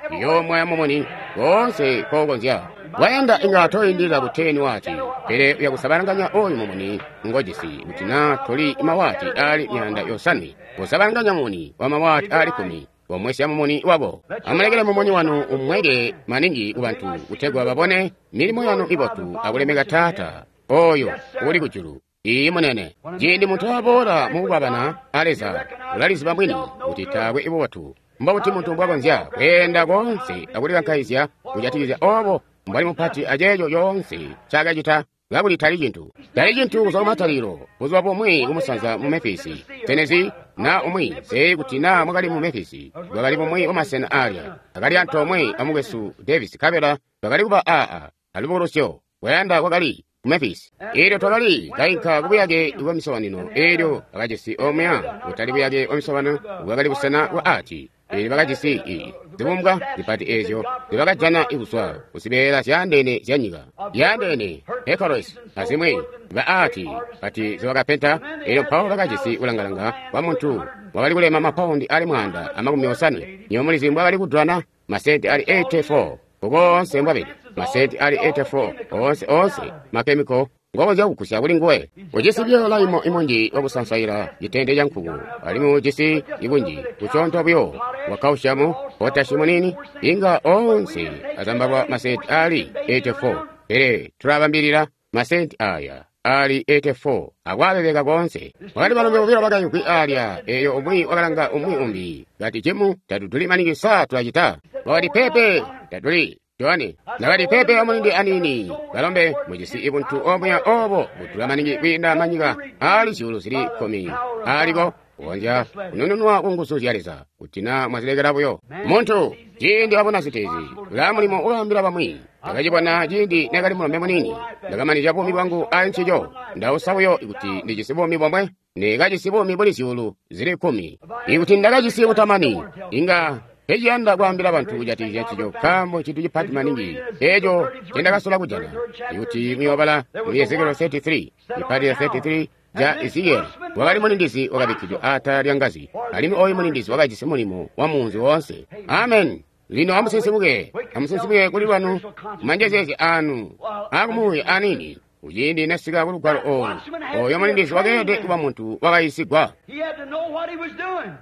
liyoomwaya mumuni koonse nkoukonzya. Wayanda inga toindilila ku 10 waati, pele uya kusabalanganya ooyu mumuni ngojisi kuti naa toli mawaati aali 500, kusabalanganya mumuni wa mawaati aali 10, komwesya mumuni wako. Amulekele mumuni wanu umweke maningi kubantu, kutegwa babone milimo yanu ibotu akulemeka Taata ooyo uuli kujulu. Iiyi munene. Ciindi muntu aboola mukukwabana a Leza, ulaliziba mwini kuti taakwe ibubotu. Mbobuti muntu mbwakonzya kweenda koonse akulikankaizya kujatikizya oobo mbwali mupati aceeco coonse ncaakacita, kakuli tali cintu. Tali cintu kuzwa kumatalikilo, buzuba bumwi kumusanza mu Memphis, Tennessee, naa umwi, nseeyi kuti naa mwakali mu Memphis, bwakali bumwi bwamasena aalya, akali antoomwe a mukwesu Davis nkabela twakali kuba aa alubukulusyo, kwayanda kwakali ku Memphis. Eelyo twakali kainka ku buyake bwa misobanino, eelyo bakajisi omuya, kutali buyake bwa misobano, bwakali busena bwa arti. Eelyo bakajisi i zibumbwa zipati eezyo nzibakajana kuzwa kuzibeela zyaandeene zyanyika, zyaandeene, Hecaros azimwi, ba arti pati nzibakapenta. Eelyo mpawo bakajisi kulangalanga kwa muntu wakali kulema mapaundi aali 150. Nywebo mulizi mbwakali kudulana? Masenti aali 84 koonse mbwabede, masenti aali 84 oonse, oonse makemiko ngokonzya kugusya kuli nguwe. Ujisi buyo laimo imunji wakusansaila citende ca nkuku, alimwi ujisi ibunji kusyoonto buyo wa kkausyamu, potashi muniini, inga oonse azambalwa masenti aali 84. Pele tulabambilila masenti aaya ali 84 akwabebeka koonse. Wakali balombe bobilo bakayimvwi alya, eyo umwi wakalanga umwi umbi kati, Jimu, tatuduli maningi sa tulacita? Wakati, Pepe, tatuli. Johane nakati, Pepe amulindi anini balombe mujisi ibuntu obuya obo budula maningi kwiinda manyika ali zyuulu zili 10 aliko kukonzya kunununwa ku nguzu zya Leza kuti na mwazilekela buyo. Muntu ciindi abona zintu ezi ula mulimo ulaambila bamwi. Ndakacibona ciindi nakali mulombe muniini, ndakamanizya buumi bwangu ali ncico. Ndausa buyo kuti ndijisi buumi bomwe, ndikajisi buumi buli zyuulu zili 10. Ikuti ndakajisi butamani, inga eciyanda kwaambila bantu kujatikizya ncico, nkaambo cintu cipati maningi eco ncendakasola kujana. Ikuti muyoobala mu Ezekielo 33, cipati 33 ca Ezekieli, wakali mulindizi wakabikkidwe atala lya ngazi, alimwi oyu mulindizi wakajisi mulimo wa muunzi woonse. Amen. Lino amusinsimuke, amusinsimuke kuli lwanu manjezeezi anu akumuuya anini. Kuciindi nasika ku lugwalo olu, oyo mulindizi wakeelede kuba muntu wakayisigwa.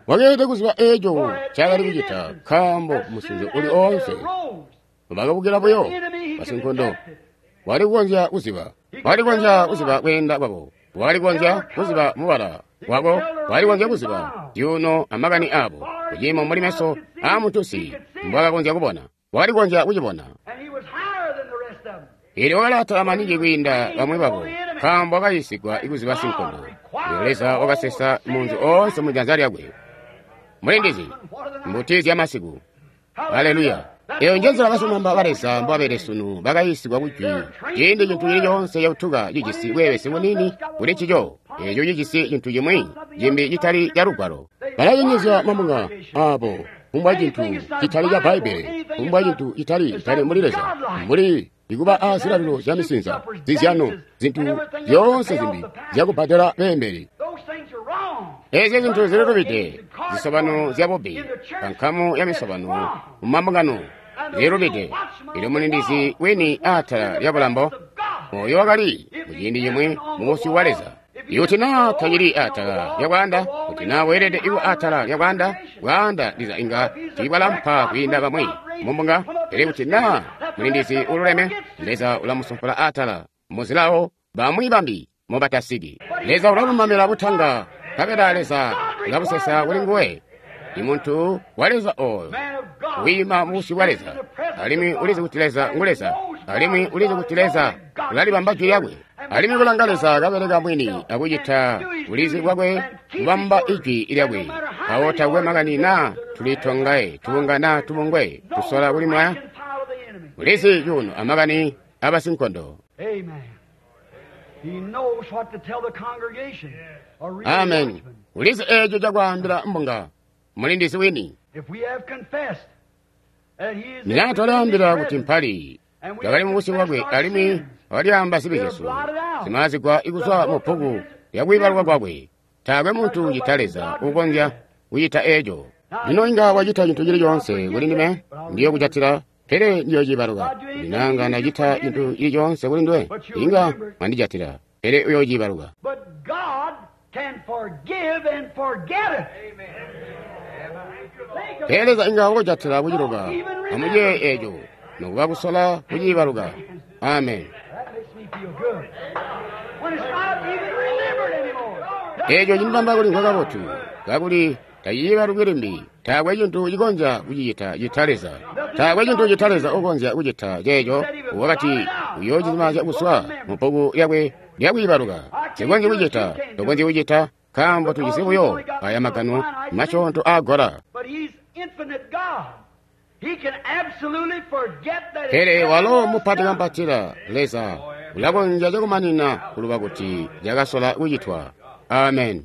Wakeelede kuziba eco ncaakali kucita, nkaambo musinzo uli oonse bakabukila buyo basinkondo wali kukonzya kuziba, wakali kukonzya kuziba kweenda kwabo, wakali kukonzya kuziba mubala wako, wakali kukonzya kuziba zyuuno amakani abo, kuciimo mbuli meso aamuntusi mbwakakonzya kubona, wakali kukonzya kucibona. Elyo wakali maningi kwiinda bamwi babo, nkaambo wakayisigwa ikuziba sinkondo. Elyo Leza wakasesa munzi oonse mu janza lyakwe. Mulindizi, mbuti zya masiku. Haleluya. Eyo njenzila basilumamba ba Leza mbobabede sunu, bakayisigwa kujwi. Ciindi cintu cili coonse cautuka cijisi bweebesi bunini kuli ncico, eco cijisi cintu cimwi cimbi citali ca lugwalo. Balayenyezya mabunga abo kumbwa cintu citali ca Bbaibbele, kumbwa cintu citali mbuli Leza, mbuli ikuba a zilalilo zya misinza, zizyano, zintu zyoonse zimbi zyakubbadela beembeli. Ezyo zintu zililubide, zisobano zya bubi, kankamu ya misobano mumambungano zililubide. Elyo mulindizi wini atala lya bulambo, oyo wakali muciindi cimwi mu busyu bwa Leza. Ikuti naa tacili atala lya bwaanda, kuti naa weelede iwe atala lya bwaanda, bwaanda ndiza inga tiibwalampa kwiinda bamwi mumbunga. Pele kuti naa mulindizi ululeme, Leza ulamusumpula atala muzilawo bamwi bambi mobatasiki. Leza ulalumamila butanga, nkabela Leza ulabusesa kuli nguwe. I muntu wa Leza oyo wiima mubusyu bwa Leza, alimwi ulizi kuti Leza ngu Leza, alimwi ulizi kuti Leza ulalibamba jwi lyakwe, alimwi kulanga Leza kabeleka mwini akucita bulizi bwakwe kubamba ijwi lyakwe. Awo takwe makani naa tulitongaye tubunga naa tubungwe tusola kulimwaya, ulizi cuuno amakani abasinkondo. Amen. Ulizi eco cakwaambila mbunga, mulindizi wini. Mina twalyaambila kuti mpali twakali mubusyu bwakwe, alimwi wakalyaamba zibi zyesu zimaazigwa ikuzwa mu bbuku lyakwiibaluka kwakwe. Taakwe muntu cita Leza ukonzya kucita eco. Lino inga wacita cintu cili coonse kuli ndime, ndiyo kucatila, pele ndiyociibaluka. Ndinanga ndacita cintu cili coonse kuli ndiwe, inga mwandijatila, pele uyoociibaluka. Pele Leza inga wakujatila kuciluka, amuciye eco, nokuba kusola kuciibaluka. Amen. Eco cindibamba kulimvwa kabotu, kakuli taciibalukwi limbi. Taakwe cintu cikonzya kucicita cita Leza. Taakwe cintu cita Leza ukonzya kucita ceeco wakati uyoocizimazya kuzwa mu bbuku lyakwe lyakwiibaluka. Sikonzyi kucita, tokonzyi kucita, nkaambo tujisi buyo aya magano masyoonto aagola. Pele walo mupati kampatila Leza ulakonzya cakumanina kuluba kuti cakasola kucitwa. Amen.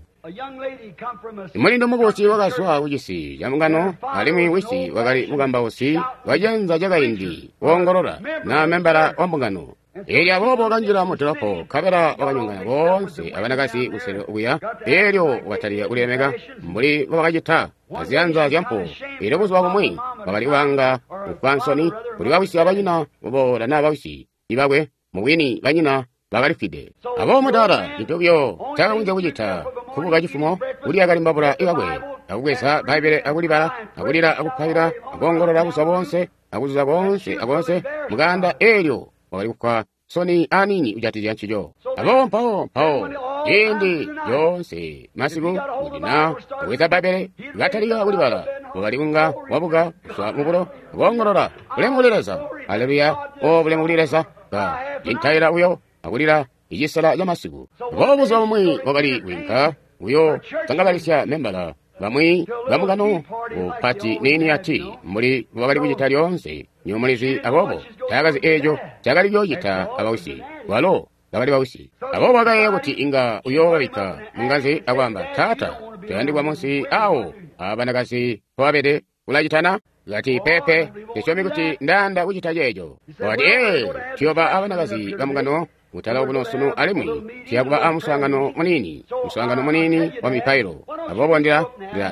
Mulindu mukubusi wakazwa kucisi ca mbungano, alimwi wisi wakali mukambausi waciyanza cakaindi woongolola na membala wa mbungano. Eelyo aboobo wakanjila mu dolopo, nkabela wakanyongana boonse abanakazi kusele okuya. Eelyo wakatalika kulilemeka mbuli mbobakacita aziyanza zyampuwo. Eelyo buzuba bumwi wakali kubanga kufwa nsoni kuli bawisi abanyina kuboola naa bawisi ibakwe, mubwini banyina bakalifwide. Aboobo mudaala cintu buyo ncaakakonzya kucita nkubuka cifumo, kulya kalimbabula ikakwe, akubweza Bbaibbele akulibala, akulila akupaila, akoongolola buzuba boonse, akuzuza koonse akoonse mukaanda. Eelyo wakali kufwa nsoni aniini kujatikizya ncico. Aboobo mpawo ciindi coonse masiku kuti na wabweza Bbaibbele katalika kulibala, wakali kunga wabuka kuzwa mubulo koongolola, bulemu kuli Leza, haleluya, o bulemu kuli Leza, ka cintaila buyo akulila icisela ca masiku. Aboobo buzuba bumwi wakali kwiinka kuyo sangabalisya membala bamwi bamukano ku pati niini yati mbuli wakali kucita lyoonse nyomulizi. Aboobo taakazi eeco cakali kuyoocita abawisi, walo bakali bawisi. Aboobo wakayeeya kuti inga uyoobabikka mungazi akwaamba, Taata, toyandikwa munsi awo abanakazi mpobabede, ulacitana? Kati, pepe, tisyomi kuti ndayanda kucita ceeco. Wakati, ee, tuyoba abanakazi bamukano kutala kuno sunu, alimwi tuyakuba a muswaangano muniini, muswaangano muniini wa mipailo. Aboobo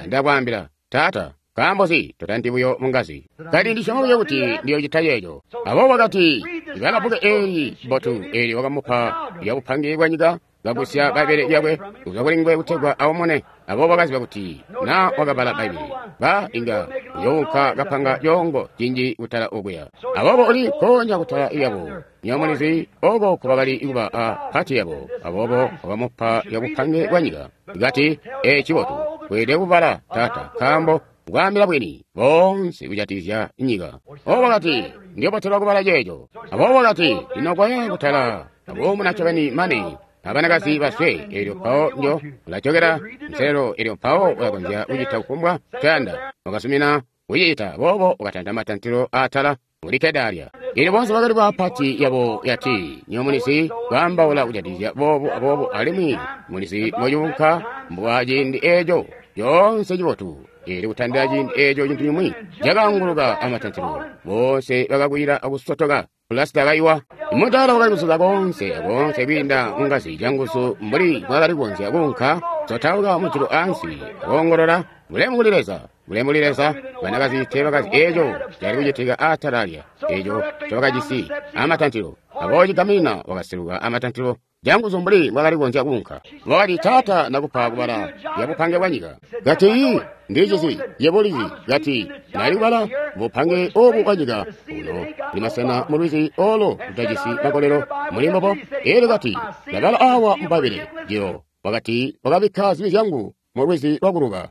ndakwaambila, Taata, nkaambo nzi totanti buyo mungazi? Kati, ndisyoma buyo kuti ndiyocita ceeco. Aboobo wakati, ibala bbuku eeli bbotu eelyo wakamupa lya bupange bwa nyika, kagusya Bbaibbele lyakwe kuzwa kuli nguwe kutegwa aumune. Aboobo wakaziba kuti na wakabala Bbaibbele, ba inga uyounka kapanga coongo cinji kutala okuya. Aboobo uli nkoonya kutala lyabo, nyomulizi oko kubakali kuba a pati yabo. Aboobo wakamupa lya bupange bwa nyika. Kati, ee, cibotu, weelede kubala, Taata, nkaambo kwaambila bwini boonse kujatikizya nyika. Aboobo wakati, ndiyobotelwa kubala ceeco. Aboobo wakati, lino koya kutala akuumuna ncobeni mane abanakazi baswe, eelyo mpawo njo ulajokera nselelo, eelyo mpawo ulakonzya kucita kufumbwa ncoyanda. Wakasumina kucicita, aboobo wakatanta matantilo aatala muli kedalya. Eelyo boonse bakali ba pati yabo yati, nyomulizi kwaambaula kujatikizya boobu aboobu, alimwi mulizi mocuunka mbwa ciindi eeco coonse cibotu. Eelyo kutandila ciindi eeco cintu cimwi cakaanguluka amatantilo, boonse bakakwila akusotoka. Pulasita kaiwa. Mutaala wakali kuzuza koonse akoonse kwiinda mungazi canguzu mbuli bwakali kukonzya kuunka, sotauka mujulu ansi akoongolola, bulemu kuli Leza, bulemu kuli Leza. Banakazi teebakazi eeco cali kucitika aatala lya eeco ncobakajisi amatantilo. Aboobo cigaminina wakaseluka amatantilo canguzu mbuli bwakali kukonzya kuunka. Wakati, Taata, ndakupa kubala lya bupange bwa nyika. Kati, ndicizi, yebo ulizi. Kati, ndali kubala bupange obu bwa nyika uno kuli masena mu lwizi olo lutajisi makolelo muli mbobo. Eelyo kati, ndabala awa mu Bbaibbele jilo. Wakati, wakabikka zibi zyangu mu lwizi lwakuluba.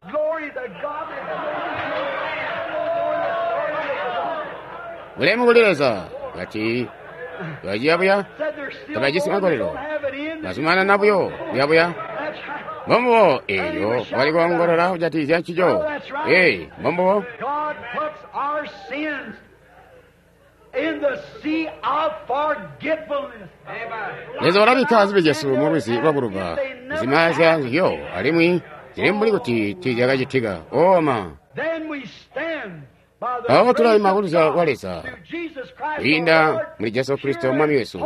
Bulemu kuli Leza. Kati, baciya buya, tabajisi makolelo, bazumanana buyo buya-buya. Mbombubo, eelyo wakali koongolola kujatikizya ncico. Ee, mbombubo. Leza walabikka zibi zyesu mu lwizi lwakuluba, kuzimaazya nzizyo, alimwi zili mbuli kuti tiizyakacitika. Oma. Mpawo tulaima kuluzyalo lwa Leza kwiinda muli Jesu Kristo Mwami wesu,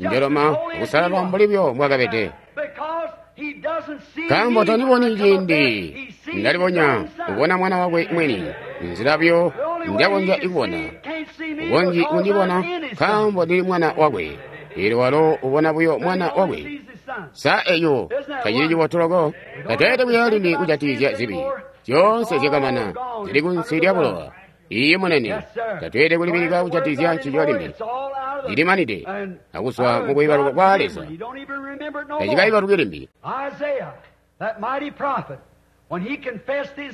njoloma akusalala mbuli byo mbwakabede. Nkaambo tandiboni ciindi ndalibonya kubona mwana wakwe mwini, nzila buyo njakonzya kubona, ukonzyi kundibona nkaambo ndili mwana wakwe. Eelyo walo ubona buyo mwana wakwe. Sa eyo tacili cibotu loko? Tatweelede kuyeeya limbi kujatikizya zibi zyoonse zyakamana, zili kunsi lya bulowa. Iye munene, tatweelede kulibilika kujatikizya ncico limbi. Cilimanide akuzwa mu kuibaluka kwa Leza, tacikaibaluki limbi.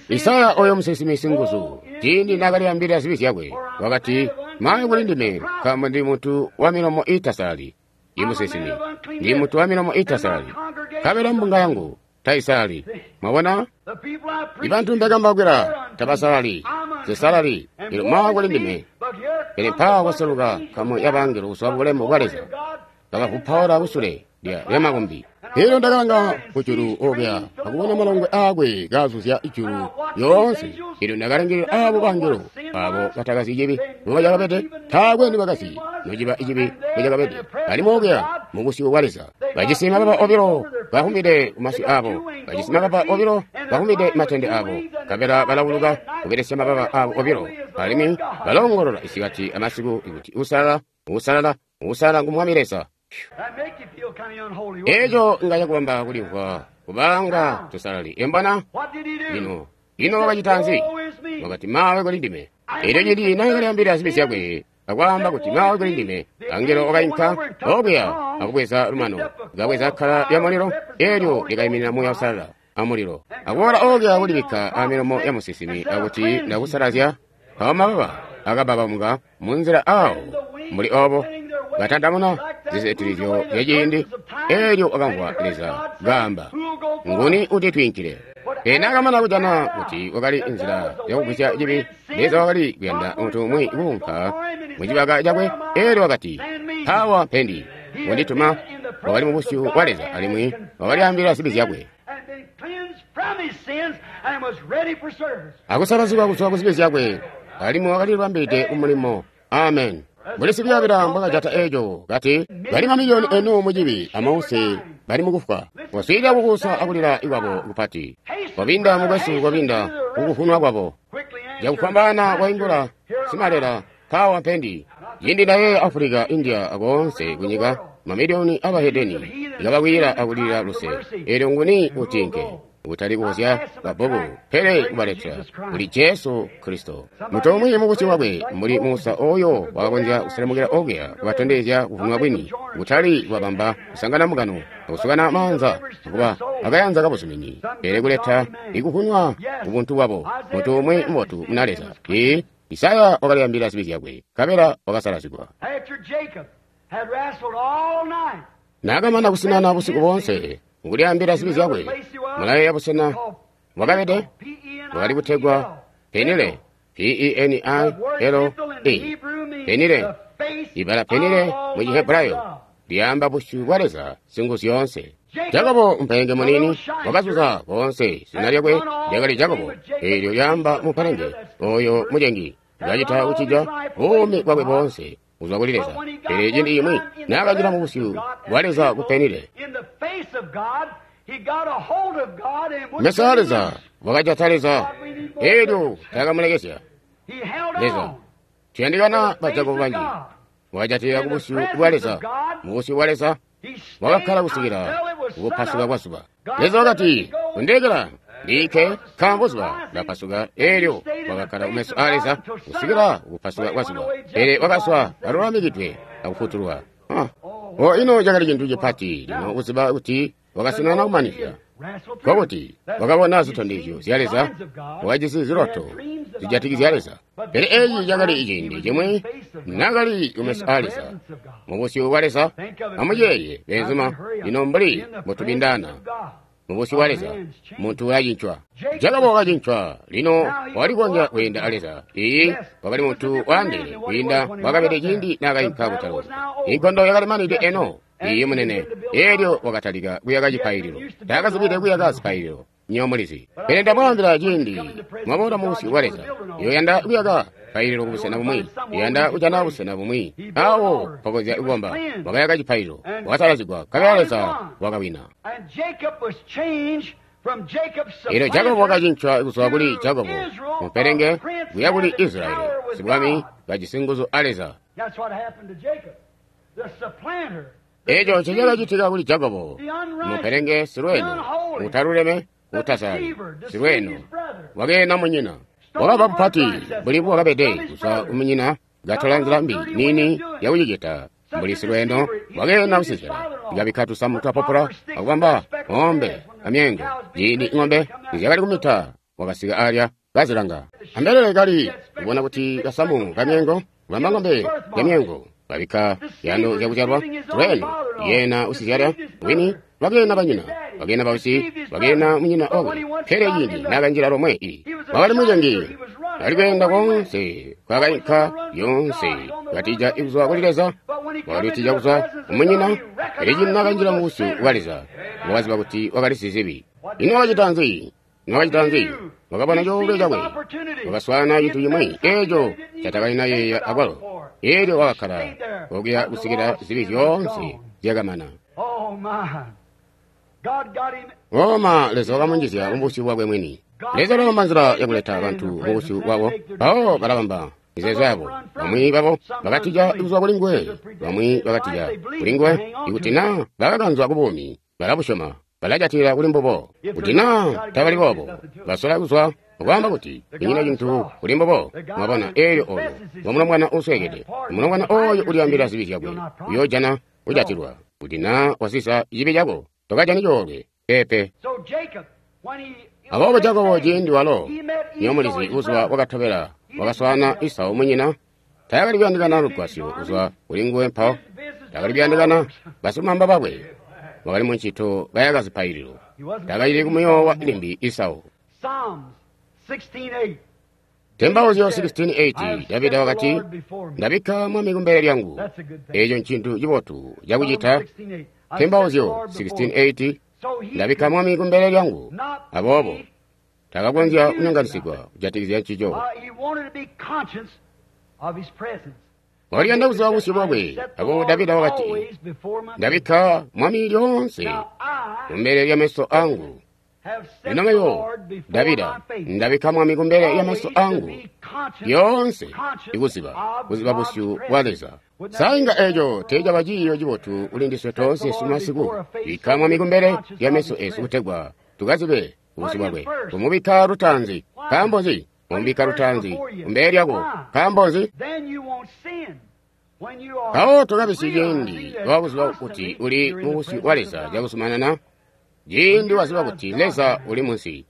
Isaya oyo musinsimi singuzu, ciindi naakalyaambilila zibi zyakwe, wakati, mawe kuli ndime, nkaambo ndi muntu wa milomo iitasalali. Imusinsimi, ndi muntu wa milomo iitasalali, nkabela mbunga yangu taisalali. Mwabona, ibantu ndakambakwila tabasalali, zisalali. Elyo mawe kuli ndime. Pele mpaawa kwaseluka nkamu ya bangelo kuzwa bulemu bwa Leza, kabavupaula kusule lya makumbi. Elyo ndakalanga kujulu okuya akubona malongwe aakwe kaazuzya ijulu lyoonse. Elyo ndakalangilila aabo bangelo abo batakazi cibi mbocakabede, taakwe nibakazi nociba icibi mbocakabede, alimwi okuya mubusyu bwa Leza bajisi mababa obilo bahumbide kumasyu aabo, bajisi mababa obilo bahumbide matende aabo, nkabela balawuluka kubelesya mababa aabo obilo, alimwi baloongolola isikati amasiku kuti usalala, usalala, usalala ngu Mwami Leza. Eeco nga cakubamba kulimvwa kubanga tusalali. Embona lino, ino wakacita nzi? Wakati, mawe kuli ndime. Elyo ciindi naakalyaambilila zibi zyakwe, akwaamba kuti maawe kuli ndime. Angelo wakainka okuya akubweza lumano, kabweza kkala lya mulilo, eelyo likaiminina Muuya Uusalala amulilo, akuboola okuya kulibikka amilomo ya musinsimi akuti ndakusalazya. Mpawo mababa akababamuka munzila awo mbuli obo, katandamuna zisetilizyo zyaciindi. Eelyo wakamvwa Leza kaamba, nguni uti twiinkile? Pele naakamana kujana kuti wakali nzila yakugwisya cibi, Leza wakali kuyanda muntu umwi kuunka mucibaka cakwe. Eelyo wakati, mpaawa mpendi, wandituma. Wakali mubusyu bwa Leza alimwi wakalyaambila zibi zyakwe, akusalazigwa kuzwa ku zibi zyakwe, alimwi wakalibambilide kumulimo. Amen. Mbuli sikuyabila mbwakajata eeco, kati bali mamiliyoni enu mucibi amause bali mukufwa. Waswiilila kukuusa akulila kwabo kupati. Kwabinda mukwesu, kwabinda kukuvunwa kwabo. Cakufwambaana waingula, simalela, mpaawa mpendi. Cindi ndayeeya Africa, India, akoonse kunyika, mamiliyoni abahedeni ikabakwila akulilila luse. Eelyo nguni utinke? Kutali kuuzya babbuku, pele kubaletela kuli Jesu Kristo. Muntu umwi mubusyu bwakwe mbuli Musa oyo wakakonzya kuselemukila okuya kubatondezya kuvunwa kwini, kutali kubabamba kusangana mukano akusukana maanza akuba akayanza kabuzumini, pele kuleta ikuvunwa kubuntu bwabo. Muntu umwi mubotu muna Leza. Ee, Isaya wakalyaambila zibi zyakwe, nkabela wakasalazigwa. Naakamana kusinana busiku boonse mukulyaambila zibi zyakwe, mulayeeya busena bwakabede bwakali kutegwa Penile, P-E-N-I-L-E, Penile. Ibala Penile mu Chihebrayo lyaamba busyu bwa Leza Singuzyoonse. Jakobo mpelenge muniini wakazuza koonse, zina lyakwe lyakali Jakobo, eelyo lyaamba mupelenge oyo mucengi, kacita kucija buumi bwakwe boonse kuzwa kuli Leza. Pele ciindi cimwi naakanjila mu busyu bwa Leza ku Penile, meso a Leza wakajata Leza, eelyo taakamulekezya Leza. Tuyandikana ba Jakobo banji. Wakajatilila ku busyu bwa Leza, mu busyu bwa Leza wakakkala kusikila kupasuka kwa zuba. Leza wakati, undekela ndiike, nkaambo zuba lapasuka. Eelyo wakakkala kumeso a Leza kusikila kupasuka kwa zuba, pele wakazwa kalulamikidwe akufutulwa. O ino cakali cintu cipati lino kuziba kuti wakasinana kumanizya, nkokuti wakabona zitondezyo zya Leza, wakajisi ziloto zijatikizya Leza. Pele eeci cakali ciindi cimwi naakali kumeso a Leza, mubusyu bwa Leza. Amuyeeye beenzuma, lino mbuli mbutubindana mubusyu bwa Leza, muntu ulacincwa. Jakobo wakacincwa, lino wakali kukonzya kweenda a Leza. Iyi, wakali muntu waandeene kwiinda mbwaakabede ciindi naakainka kutalo. Inkondo yakalimanide eno. Iye munene. Eelyo wakatalika kuyaka cipaililo. Taakazibide kuyaka zipaililo, nyo mulizi. Pele ndamwaambila ciindi mwaboola mubusyu bwa Leza, yoyanda kuyaka paililo kubusena bumwi, yoyanda kujana busena bumwi awo mpakonzya kukomba. Wakayaka cipaililo, wakasalazigwa, nkabela Leza wakawina. Eelyo Jakobo wakacincwa kuzwa kuli Jakobo mupelenge kuya kuli Israeli, sibwami kajisi nguzu a Leza. Eeco ncecakacitika kuli Jakobo, mupelenge silweeno, utaluleme, utasalali, silweeno, wakeena munyina. Wakaba mupati mbuli bwakabede kuzwa kumunyina, katola nzila mbi niini yakucicita mbuli silweeno, wakeena kusizela, kabikka tusamu twa popula akubamba ng'ombe amyeengo. Ciindi ng'ombe nizyakali kumita, wakasika alya kazilanga. Ambelele kali kubona kuti kasamu kamyeengo kubamba ng'ombe yamyeengo, babikka yando zyakuzyalwa silweeno, yeena usizyala wini, wakeena banyina, wakeena bausi, wakeena munyina wakwe. Pele ciindi naakanjila lomwe wakali mucengi, ali kweenda koonse kwakainka yoonse, katija kuzwa kuli Leza, wakali kutija kuzwa kumunyina. Pele ciindi naakanjila mubusyu bwa Leza, wakaziba kuti wakali sizibi. Ino wakacita nzi? Ino wakacita nzi? Wakabona coolwe cakwe, wakaswaana cintu cimwi eeco catakalina yeeya akwalo. Eelyo wakakkala okuya kusikila zibi zyoonse zyakamana. Oma Leza wakamunjizya mubusyu bwakwe mwini. Leza ulabamba nzila yakuleta bantu mubusyu bwabo, mpawo balabamba mizeezo yabo. Bamwi babo bakatija kuzwa kuli nguwe, bamwi bakatija kuli nguwe. Ikuti naa bakakanzwa kubuumi, balabusyoma. balajatilila kuli mbubo. Kuti naa tabali boobo, basola kuzwa akwaamba kuti kunyina cintu kuli mbubo. Mwabona, eelyo oyo ngo mulombwana uusweekede. Mulombwana oyo ulyaambila zibi zyakwe, uyoojana kujatilwa. Kuti naa wasisa cibi cako, tokajani coolwe. Peepe. Aboobo Jakobo ciindi walo, nyomulizi buzuba bwakatobela wakaswaana Esau munyina, taakali kuyandikana lugwasyo kuzwa kuli nguwe mpawo. Taakali kuyandikana basilumamba bakwe. Wakali muncito kayaka zipaililo. Taakacili kumuyoowa limbi Esau. Tembauzyo 16:8 Davida wakati, ndabikka mwami kumbele lyangu. Eeco ncintu cibotu cakucita. Tembauzyo 16:8 ndabikka mwami kumbele lyangu. Aboobo takakonzya kunyonganisigwa kujatikizya ncico. Waliyanda kuziba busyu bwakwe. Aboobo Davida wakati, ndabikka mwami lyoonse kumbele lya meso angu. Lino mebo Davida ndabikka mwami kumbele lya meso angu lyoonse, ikuziba kuziba busyu bwa Leza. Sainga eeco teecaba ciiyo cibotu kuli ndiswe toonse sumasiku. Bikka mwami kumbele lya meso esu kutegwa tukazibe busyu bwakwe. Kumubikka lutaanzi. Nkaambo nzi? Kumubikka lutaanzi kumbele lyako. Nkaambo nzi? Mpawo tokabisyi ciindi wakuziba kuti uli mubusyu bwa Leza cakuzumanana. Ciindi waziba kuti Leza uli munsi,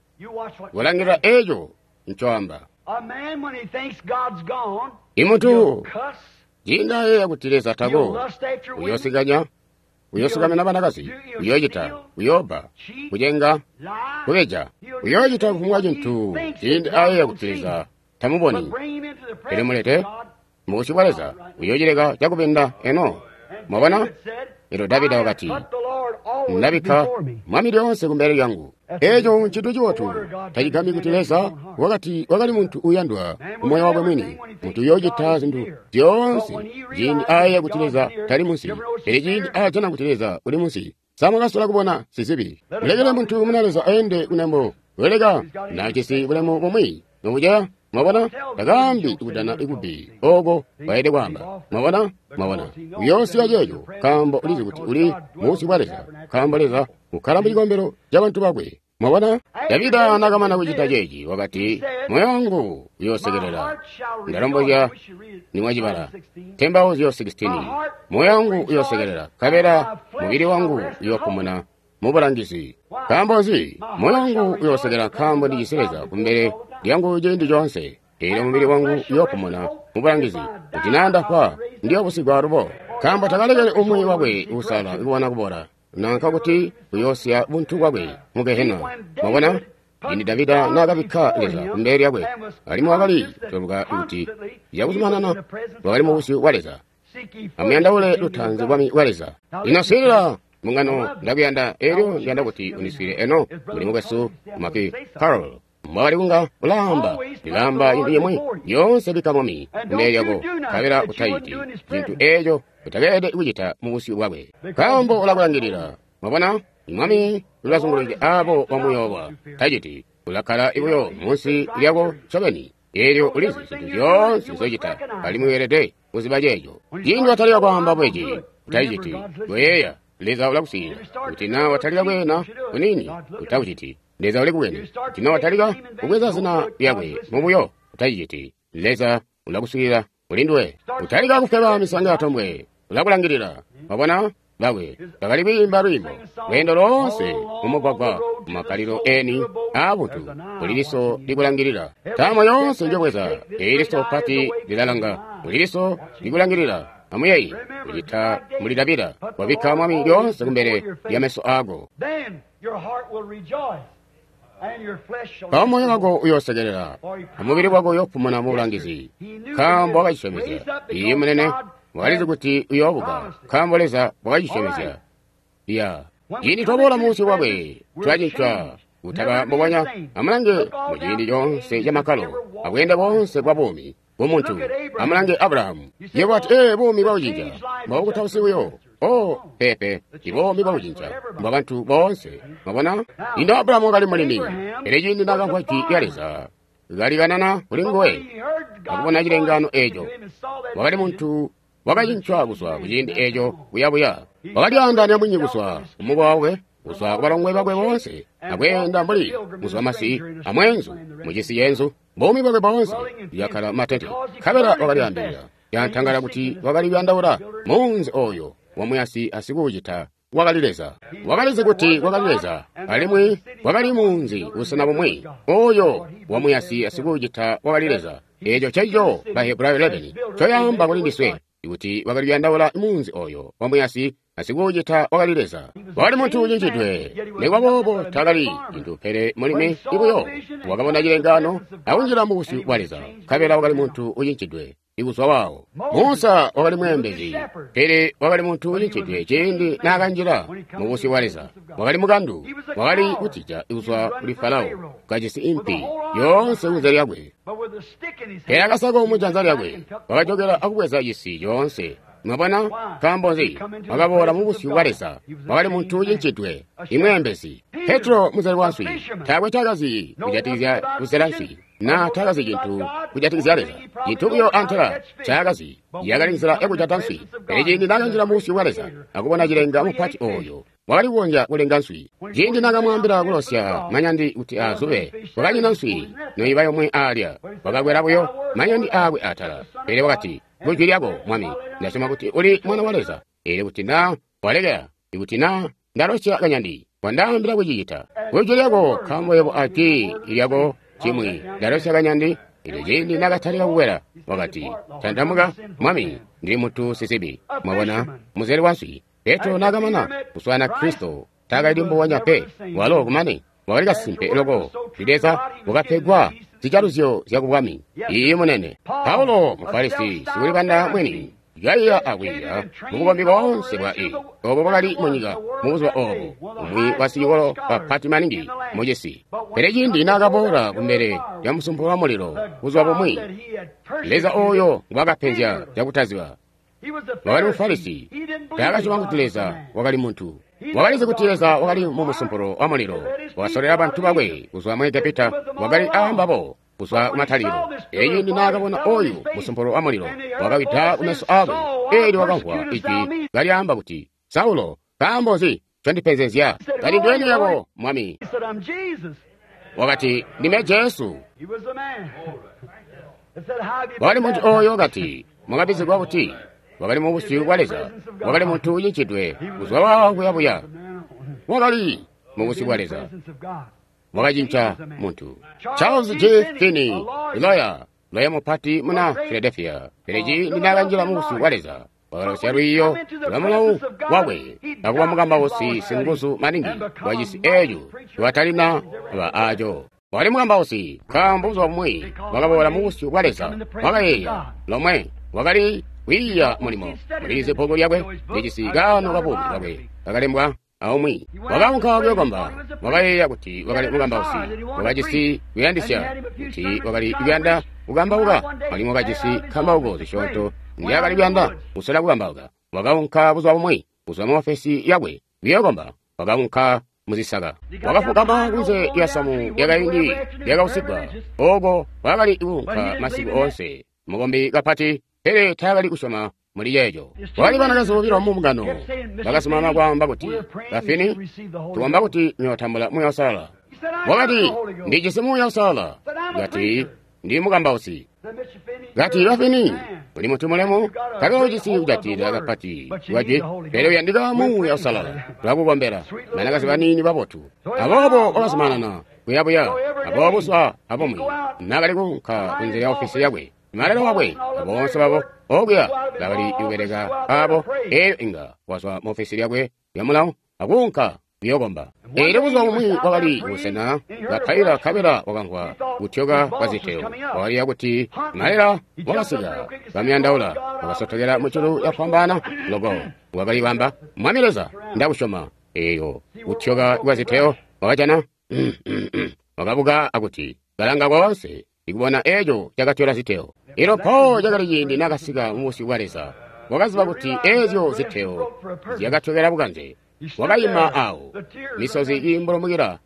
kulangilila eeco ncoamba. Imuntu ciindi ayeeya kuti Leza tako, uyoosikanya, uyoosikamena banakazi, uyoocita, uyoobba, kucenga, kubeja, uyoocita kufumbwa cintu ciindi ayeeya kuti Leza tamuboni. Pele mulete mubusyu bwa Leza, uyoocileka cakubinda eno. Mwabona? Elyo Davida wakati, ndabikka mwami lyoonse kumbele lyangu. Eeco ncintu cibotu. Tacigambyi kuti Leza wakati wakali muntu uyandwa kumoyo wakwe mwini, muntu uyoocita zintu zyoonse ciindi ayeeya kuti Leza tali munsi, pele ciindi aajana kuti Leza uli munsi. Sa mwakasola kubona sizibi? Mulekele muntu muna Leza aende kunembo, weleka najisi bulemu bumwi nobuceya. Mwabona? Takaambi kudana ikubi oko waede kwaamba. Mwabona? Mwabona? Uyoosiya ceeco nkaambo ulizi kuti uli mubusyu bwa Leza, nkaambo Leza ukkala mu cikombelo ca bantu bakwe. Mwabona? Davida nakamana kucita ceeci wakati, moyo wangu uyoosekelela. Ndalombozya nimwacibala. Tembauzyo 16. Moyo wangu uyoosekelela, nkabela mubili wangu uyoopumuna mubulangizi. Nkaambo nzi? Moyo wangu uyoosekelela nkaambo ndijisi Leza kumbele lyangu ciindi coonse. Eelyo mubili wangu uyoopumuna mubulangizi. Kuti naa ndafwa, ndiyoobusigwa alubo. Nkaambo takalekele umwi wakwe uusalala kubona kubola, nanka kuti uyoosiya buntu bwakwe mu Gehena. Mwabona? Ciindi Davida naakabikka Leza kumbele lyakwe, alimwi wakali toluka kuti cakuzumanana wakali mubusyu bwa Leza. Amuyandaule lutaanzi bwami bwa Leza. Lino swiilila, mbungano, ndakuyanda eelyo ndiyanda kuti uniswiile eno. Muli mukwesu Maki Carol mbwakali kunga ulaamba, ndilaamba cintu cimwi lyoonse bikka mwami kumbele lyako, nkabela utaciti cintu eeco utakeelede kucita mubusyu bwakwe, nkaambo ulakulangilila. Mwabona? Mwami ulazungulukide aabo bamuyoowa. Taciti, ulakkala buyo munsi lyako ncobeni. Eelyo ulizi zintu zyoonse nzocita, alimwi weelede kuziba ceeco. Ciindi watalika kwaamba bweci, utaciti, koyeeya Leza ulakuswiilila. Kuti naa watalika kweena kuniini, utakuciti. Leza ulikubwene. Kuti naa watalika kubweza zina lyakwe mubuyo, utaciciti. Leza ulakuswiilila kulinduwe. Utalika kufweba misanga yatombwe, ulakulangilila. Wabona? Bakwe bakali kwiimba lwiimbo lweendo loonse mumugwagwa mumakkalilo eni aabuntu, kuli liso likulangilila. Ntaamo yoonse njobweza, eeli liso pati lilalanga, kuli liso likulangilila. Amuyeeye kucita muli Davida, wabikka mwami lyoonse kumbele lya meso aako. Mpawo moyo wako uyoosekelela, amubili wako uyoopumuna mubulangizi, nkaambo wakacisyomezya. Iiyi munene, wakalizi kuti uyoobuka, nkaambo Leza wakacisyomezya. Ya ciindi twaboola mubusyu bwakwe, tulacincwa kutaba mbubonya. Amulange muciindi coonse camakkalo abweende boonse bwa buumi bw'omuntu. Amulange Abrahamu. Yebo wati, ee, buumi bwakucinca mbwabukutausi buyo. Oh, peepe, ibuumi bwakucinca mbwa bantu boonse. Mwabona? Lino Abrahamu wakali mulimi, pele ciindi naakamvwa jwi lya Leza kalikanana kuli nguwe akubona cilengaano eeco, wakali muntu wakacincwa kuzwa kuciindi eeco kuyabuya. Wakalyaandaanya mwini kuzwa kumukowa wakwe, kuzwa kubalongwe bakwe boonse, akweenda mbuli muzwamasi amweenzu mucisi yenzu. Buumi bwakwe boonse yakkala matente, nkabela wakalyaambilila yantangala kuti wakali kuyandaula muunzi oyo wamuyasi asikuucita wakali Leza. Wakalizi kuti wakali Leza, alimwi wakali muunzi busena bumwi oyo wamuyasi asikuucita wakali Leza. Eeco ncencico Bahebrayo 11 ncoyaamba kuli ndiswe, kuti wakali kuyandaula muunzi oyo wamuyasi asikuucita wakali Leza. Wakali muntu ucinjidwe, nikuba boobo taakali cintu pele mulimi ibuyo. Wakabona cilengaano akunjila mu busyu bwa Leza, nkabela wakali muntu ucinjidwe. Ikuzwa waawo, Musa wakali mweembezi, pele wakali muntu ucinjidwe ciindi naakanjila mu busyu bwa Leza. Wakali mukandu, wakali kutija kuzwa kuli Farao, kajisi impi yoonse kunze lyakwe. Pele akasako mujanza lyakwe, wakajokela akubweza cisi coonse. Mwabona, nkaambo nzi? Wakaboola mu busyu bwa Leza. Wakali muntu ucinjidwe, imweembezi. Petro muzeli wa nswi, taakwe ncaakazi kujatikizya kuzela nswi, na taakazi cintu kujatikizya Leza. Cintu buyo antela ncaakazi yakali nzila yakujata nswi. Pele ciindi naakanjila mu busyu bwa Leza akubona cilenga mupati oyo, wakali kukonzya kulenga nswi. Ciindi naakamwaambila kulosya manyandi kuti azube, kwakanyina nswi noiba yomwe aalya. Wakakwela buyo manyandi aakwe atala. Pele wakati, "Kujwi lyako, Mwami, ndasyoma kuti uli Mwana wa Leza. Eelyo kuti naa walekela, ikuti naa ndalosya kanyandi, wandaambila kucicita. Kujwi lyako, nkaambo yebo ajwi lyako cimwi, ndalosya kanyandi." Eelyo ciindi naakatalika kukwela, wakati, "Tantamuka, Mwami, ndili muntu sizibi." Mwabona, muzeli wa nswi. Petro naakamana kuswaana Kristo, taakali mbubonya pe. Walo kumane wakali kasimpe loko ndi Leza, wakapegwa zijaluzyo zya kubwami. Iiyi munene. Paulo Mufarisi sikulibanda mwini, kaiya akwiiya mubukombi boonse bwa obo bwakali munyika mubuzuba obo, umwi wa sicikolo bapati maningi mucisi. Pele ciindi naakaboola kumbele lya musumpulo wa mulilo buzuba bumwi, Leza oyo ngwaakapenzya cakutaziba, wakali Mufarisi, taakasyoma kuti Leza wakali muntu. Wakalizi kuti Leza wakali mu musumpulo wa mulilo, wakasolera bantu bakwe kuzwa mu Egepita, wakali aambabo kuzwa kumatalikilo. Eelyo ciindi naakabona oyu musumpulo wa mulilo, wakawida kumeso aakwe. Eelyo wakamvwa ijwi kalyaamba kuti, "Saulo, nkaambo nzi ncondipenzezya?" Kati, "Ndweni yako, Mwami?" Wakati, "Ndime Jesu." Wakali muntu oyo kati, "Mwakabizigwa kuti?" Wakali mu busyu bwa Leza. Wakali muntu ucinjidwe kuzwa waawo kuyabuya. Wakali mu busyu bwa Leza. Wakacinca muntu. Charles J. Finney, loya, loya mupati muna Philadelphia. Pele ciindi naakanjila mu busyu bwa Leza, wakalosya lwiiyo lwa mulawu wakwe akuba mukambausi singuzu maningi wa cisi eeco ciwatalina ba aaco. Wakali mukambausi, nkaambo buzuba bumwi wakaboola mu busyu bwa Leza. Wakayeeya lomwe, wakali kwiiya mulimo. Mulizi bbuku lyakwe lijisi kaano kabuumi bwakwe kakalembwa aumwi. Wakaunka kuyokomba, wakayeeya kuti wakali mukambausi, wakajisi kuyandisya kuti wakali kuyanda kukambauka, alimwi wakajisi nkambauko zisyoonto nzyaakali kuyanda kusola kukambauka. Wakaunka buzuba bumwi kuzwa mu ofesi yakwe kuyokomba, wakaunka muzisaka. Wakafukama kunze lya samu lyakaindi lyakausigwa, ooko kwakali kuunka masiku oonse. Mukombi kapati, pele taakali kusyoma muli ceeco. Kwakali banakazi bobilo mu mbungano bakazumanana kwaamba kuti, "Bafini, tukomba kuti muyootambula Muuya Uusalala." Wakati, "Ndijisi Muuya Uusalala." Kati, "Ndi mukambausi." Kati, "Bafini, uli muntu mulemu, nkabela ujisi kujatilila kapati kwajwi, pele uyandika Muuya Uusalala. Tulakukombela." Banakazi baniini babotu. Aboobo wakazumanana kuyabuya. Aboobo buzuba abumwi naakali kuunka kunze lya ofisi yakwe, malelo wakwe aboonse babo okuya bakali kubeleka abo, eelyo inga wazwa mu ofisi lyakwe lya mulawu akuunka kuyokomba. Eelyo buzuba bumwi wakali kubusena kapaila, nkabela wakamvwa kutyoka kwa ziteo. Wakaliya kuti malela wakasika kamyandaula, wakasotokela muculu yakufwambaana loko. Wakali kwamba, "Mwami Leza, ndakusyoma." Eeyo kutyoka kwa ziteo wakajana wakabuka akuti kalanga koonse ikubona eeco cakatyola ziteo. Elo mpawo cakali ciindi naakasika mu busyu bwa Leza, wakaziba kuti eezyo ziteo zyakatyokela bukanze. Wakayima awo, misozi iimbulumukila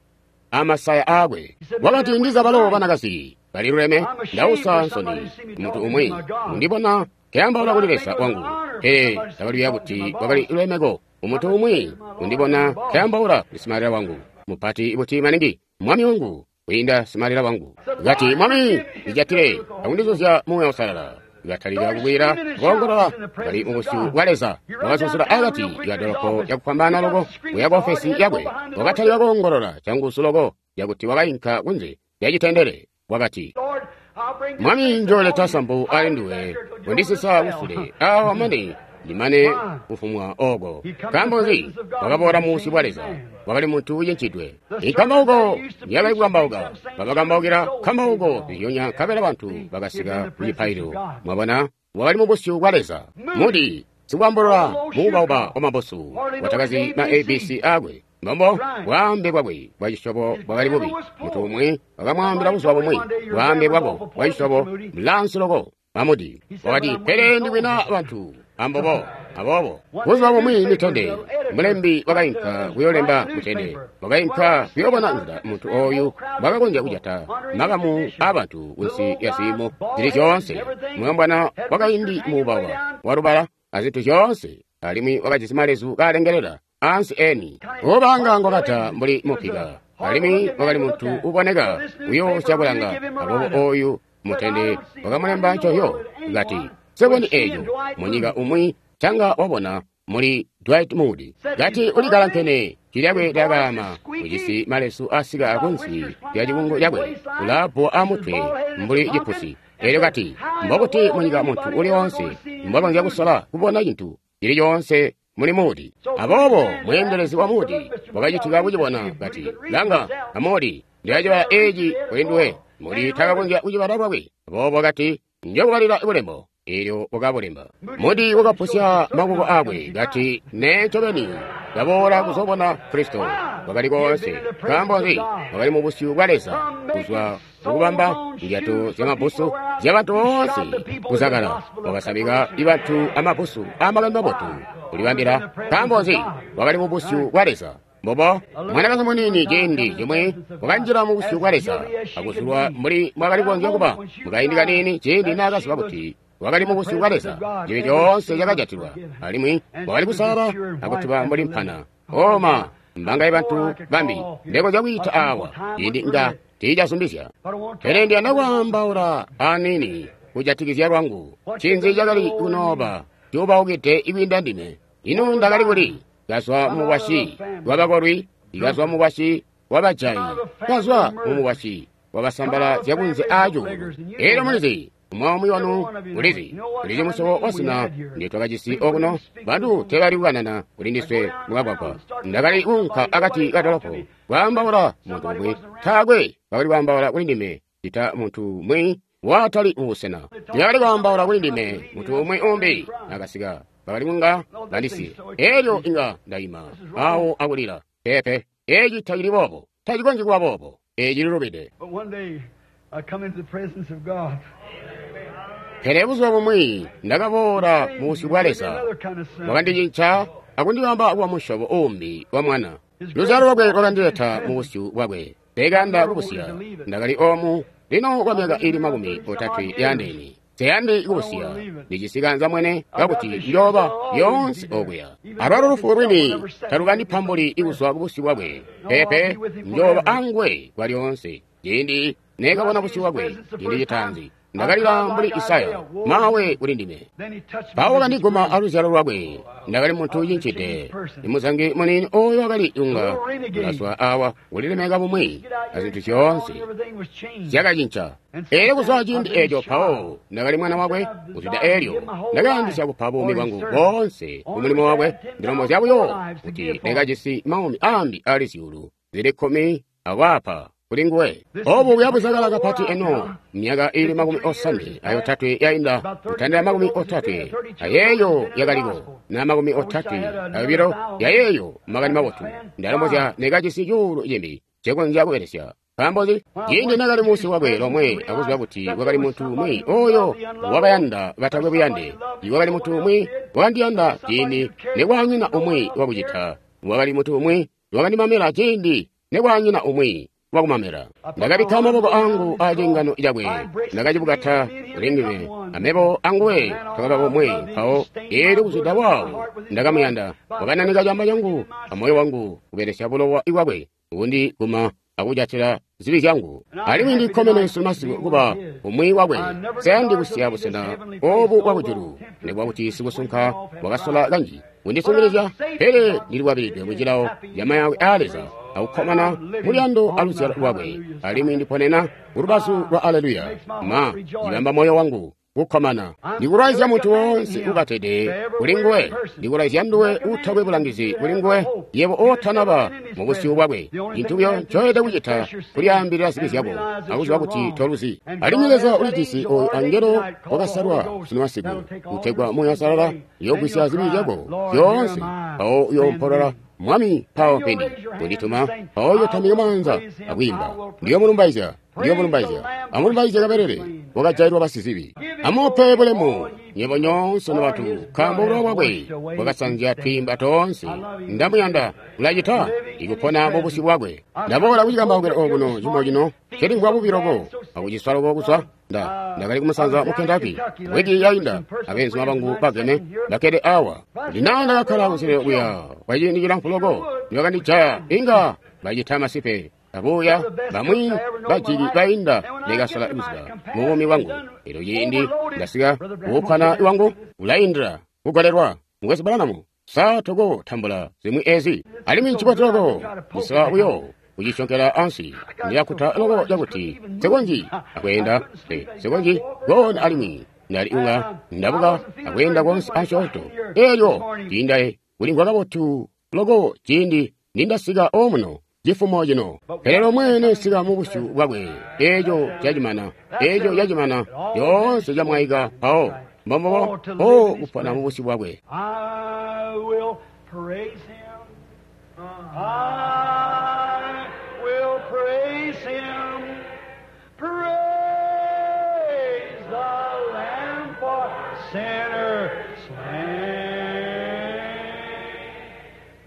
amasaya aakwe. Wakati, "Ndiza balo banakazi baliluleme, ndausa nsoni muntu umwi undibona nkeyambaula kuli Leza wangu." Pele ndakaliya kuti kwakali lulemeko Umuntu umwi undibona nkeambaula kuli simalila wangu. Mupati buti maningi, mwami wangu, kwiinda simalila wangu. Kati, Mwami, ndijatile, akundizuzya Muuya Uusalala. Katalika kukwila, koongolola, kali mubusyu bwa Leza. Wakazuzula akati ka dolopo cakufwambaana loko kuya ku ofesi yakwe. Wakatalika koongolola canguzu loko cakuti wakainka kunze lya citendele. Wakati, Mwami, njooleta sampu ali nduwe, kundisisa kusule awa mane ndimane kufumwa oko. Nkaambo nzi? Wakaboola mu busyu bwa Leza. Wakali muntu ucincidwe. Inkambauko yakali kukambauka, babakambaukila nkambauko zizyonya nkabela bantu bakasika ku cipaililo. Mwabona, wakali mu busyu bwa Leza. Moody, sikwaambulula muubauba wa mabusu, watakazi ma ABC akwe. Mbombo bwaambe bwakwe bwa cisyobo bwakali bubi. Muntu umwi wakamwaambila buzuba bumwi bwaambe bwako bwa cisyobo bulansi loko. Amudi wakati, pele ndikwina bantu ambobo. Aboobo buzuba bumwi mitende mulembi wakainka kuyolemba mutende, wakainka kuyoobona nzila muntu oyu mbwakakonzya kujata makamu aabantu kunsi lya ziimo zili zyoonse. Mulombwana wakaindi muubawa walubala azintu zyoonse, alimwi wakajisi malezu kaalengelela ansi eni, ubanga ngwakata mbuli mupika, alimwi wakali muntu uboneka kuyoosya kulanga. Aboobo oyu mutende wakamulemba ncohyo, kati, Seboni eeco munyika umwi canga wabona muli Dwight Moody. Kati ulikalankene, jwi lyakwe lyakaama, ujisi malesu asika kunsi lya cikungu cakwe, ulaabbo amutwe mbuli cipusi. Elyo kati, mbokuti munyika muntu uli oonse mbwakonzya kusola kubona cintu cili coonse muli Moody. Aboobo mweendelezi wa Moody wakacitika kucibona, kati, Langa, a Moody, ndilacibala eeci kuli nduwe. Moody takakonzya kucibala lwakwe. Aboobo kati, Njokubalila bulembo. Elyo wakabulemba. Moody wakapusya maboko akwe, kati, Nee ncobeni, ndaboola kuzobona Kristo. Wakali koonse. Nkaambo nzi? Wakali mu busyu bwa Leza, kuzwa mukubamba ndyato zyamabusu zyabantu boonse kuzakala. Wakasamika bantu amabusu amakani mabotu kulibambila. Nkaambo nzi? Wakali mu busyu bwa Leza. Mbobo mwanakazi muniini ciindi cimwi wakanjila mu busyu bwa Leza akuzulwa mbuli mbwakali kukonzya kuba mukaindi kaniini ciindi naakaziba kuti wakali mu busyu bwa Leza. Cibi coonse cakajatilwa, alimwi wakali kusalala akutuba mbuli mpana. Oma mbangaye bantu bambi ndekonzya kwiita awa ciindi nga tiicazumbizya. Pele ndiyanda kwaambaula aniini kujatikizya lwangu. Ncinzi cakali kunooba cuubaukide ikwiinda ndime? Ino ndakali kuli? Kazwa mumukwasyi wabakolwi, ikazwa mumukwasyi wabajayi, kazwa mumukwasyi wabasambala zyakunze aacuulu. Elyo mulizi, umwi wanu ulizi, ulizi musyobo wasina ndi twakajisi okuno. Bantu teebali kukanana kuli ndiswe mukagwagwa. Ndakali kuunka akati ka dolopo kwaambaula muntu umwi, taakwe bakali kwaambaula kuli ndime cita muntu umwi watali mubusena. Teebakali kwaambaula kuli ndime muntu umwi umbi nakasika. Bakali kunga bandisiye. Elyo inga ndaima awo akulila. Peepe, eci tacili boobo, tacikonzyi kuba boobo, eci lilubide. Pele buzuba bumwi ndakaboola mu busyu bwa Leza, wakandicinca akundibamba kuba musyobo uumbi wa mwana. Luzyalo lwakwe lwakandileta mu busyu bwakwe. Nsekayanda kubusiya. Ndakali omu lino kwa myaka iili 30 yaandeene. Nseyandi kubusiya. Ndijisi kaanzambwene kakuti njooba lyoonse okuya. Alwalo lufu lwini talukandipambuli kuzwa kubusyu bwakwe. Peepe, njooba anguwe kwa lyoonse. Ciindi neekabona busyu bwakwe ciindi citaanzi, ndakalila mbuli Isaya, mawe kuli ndime. Mpawo wakandiguma aluzyalo lwakwe. Ndakali muntu ucincide, imuzangi muniini oyo wakali unga ulazwa awa kulilemeka bumwi azintu zyoonse zyakacinca. Elyo kuzwa ciindi eeco mpawo ndakali mwana wakwe. Kuzwida elyo ndakayandisya kupa buumi bwangu boonse kumulimo wakwe. Ndilombozya buyo kuti ndakajisi maumi aambi ali zyuulu zili 10 akwaapa kuli nguwe. Obu buyabuzakala kapati eno, myaka ili 58 yainda, kutandila 30 ayeeyo yakaliko, na 32 yayeeyo makani mabotu. Ndalombozya nekajisi cuulu cimbi ncekonzya kubelesya. Nkaambo nzi? Ciindi nakali munsi wakwe lomwe akuziba kuti wakali muntu umwi oyo wakayanda batakwe buyande, iwakali muntu umwi wakandiyanda ciindi nekwanyina umwi wakucita, wakali muntu umwi wakandimamela ciindi nekwanyina umwi wakumamela. Ndakabikka maboko angu aciingano cakwe, ndakacibukata kuli ndime, amebo anguwe twakaba bomwe. Mpawo eelyo kuzwida waawo ndakamuyanda. Wakananika camba cangu amoyo wangu kubelesya bulowa bwakwe kundiguma akujatila zibi zyangu. Alimwi ndikkomene sunu masiku kuba umwi wakwe. Nseyandi kusiya busena obu bwakujulu, nikuba kuti sikusunka wakasola kanji kundisungilizya, pele ndilikwabilidwe mucilawo camayake aa Leza akukkomana muluyando aluzyalo lwakwe. Alimwi ndiponena kulubazu lwa Aleluya. Ma cibamba moyo wangu kukkomana. Ndikulwaizya muntu woonse ukatede kuli nguwe, ndikulwaizya nduwe utakwe bulangizi kuli nguwe, yebo otanaba mu busyu bwakwe. Cintu buyo ncoyelede kucita kulyaambilila zibi zyako akuziba kuti toluzi. Alimwi Leza ulijisi oyu angelo wakasalwa sunu masiku kutegwa Muuya Uusalala uyoogwisya zibi zyako zyoonse, mpawo uyoompolola, Mwami, mpawo mpendi kundituma. Mpawo uyootambika maanza akwiimba, ndiyomulumbaizya, ndiyomulumbaizya. Amulumbaizye kabelele wakajailwa basizibi. Amupe bulemu nyebo nyoonse nobantu, nkaambo bulowa bwakwe bwakasanzya twiimba toonse. Ndamuyanda, ulacita ikupona mu busyu bwakwe. Ndaboola kucikambaukilo okuno cimo cino, ncelimvwa bubi loko akuciswa loko kuzwa ndakali kumusanza mu Kentucky wiki yainda, abeenzuma bangu bageme bakkede awa. Kuti naa ndakakkala kuselelo kuya kwaciindi cilamfu loko, nibakandijaya inga bacita masipe abuya bamwi bajiki bainda ndikasola kuziba mubuumi bwangu. Elyo ciindi ndasika kuukkwana wangu ulaindila kugolelwa. Mukwesu Branham, sa toko tambula zimwi ezi? Alimwi ncibotu loko kusola buyo kucisyonkela ansi. Ndilakuta loko cakuti nsikonzyi akweenda, nsikonzyi koona alimwi ndali unga ndabuka akweenda koonse asyoonto. Elyo ciinda kulimvwa kabotu loko ciindi nindasika omuno cifumo cino. Pele lomwe nesika mu busyu bwakwe, eeco cacimana, eeco cacimana, yoonse camwaika mpawo. Mbombobo o kupona mu busyu bwakwe. I will praise him. I will praise him. Praise the Lamb for sinners slain.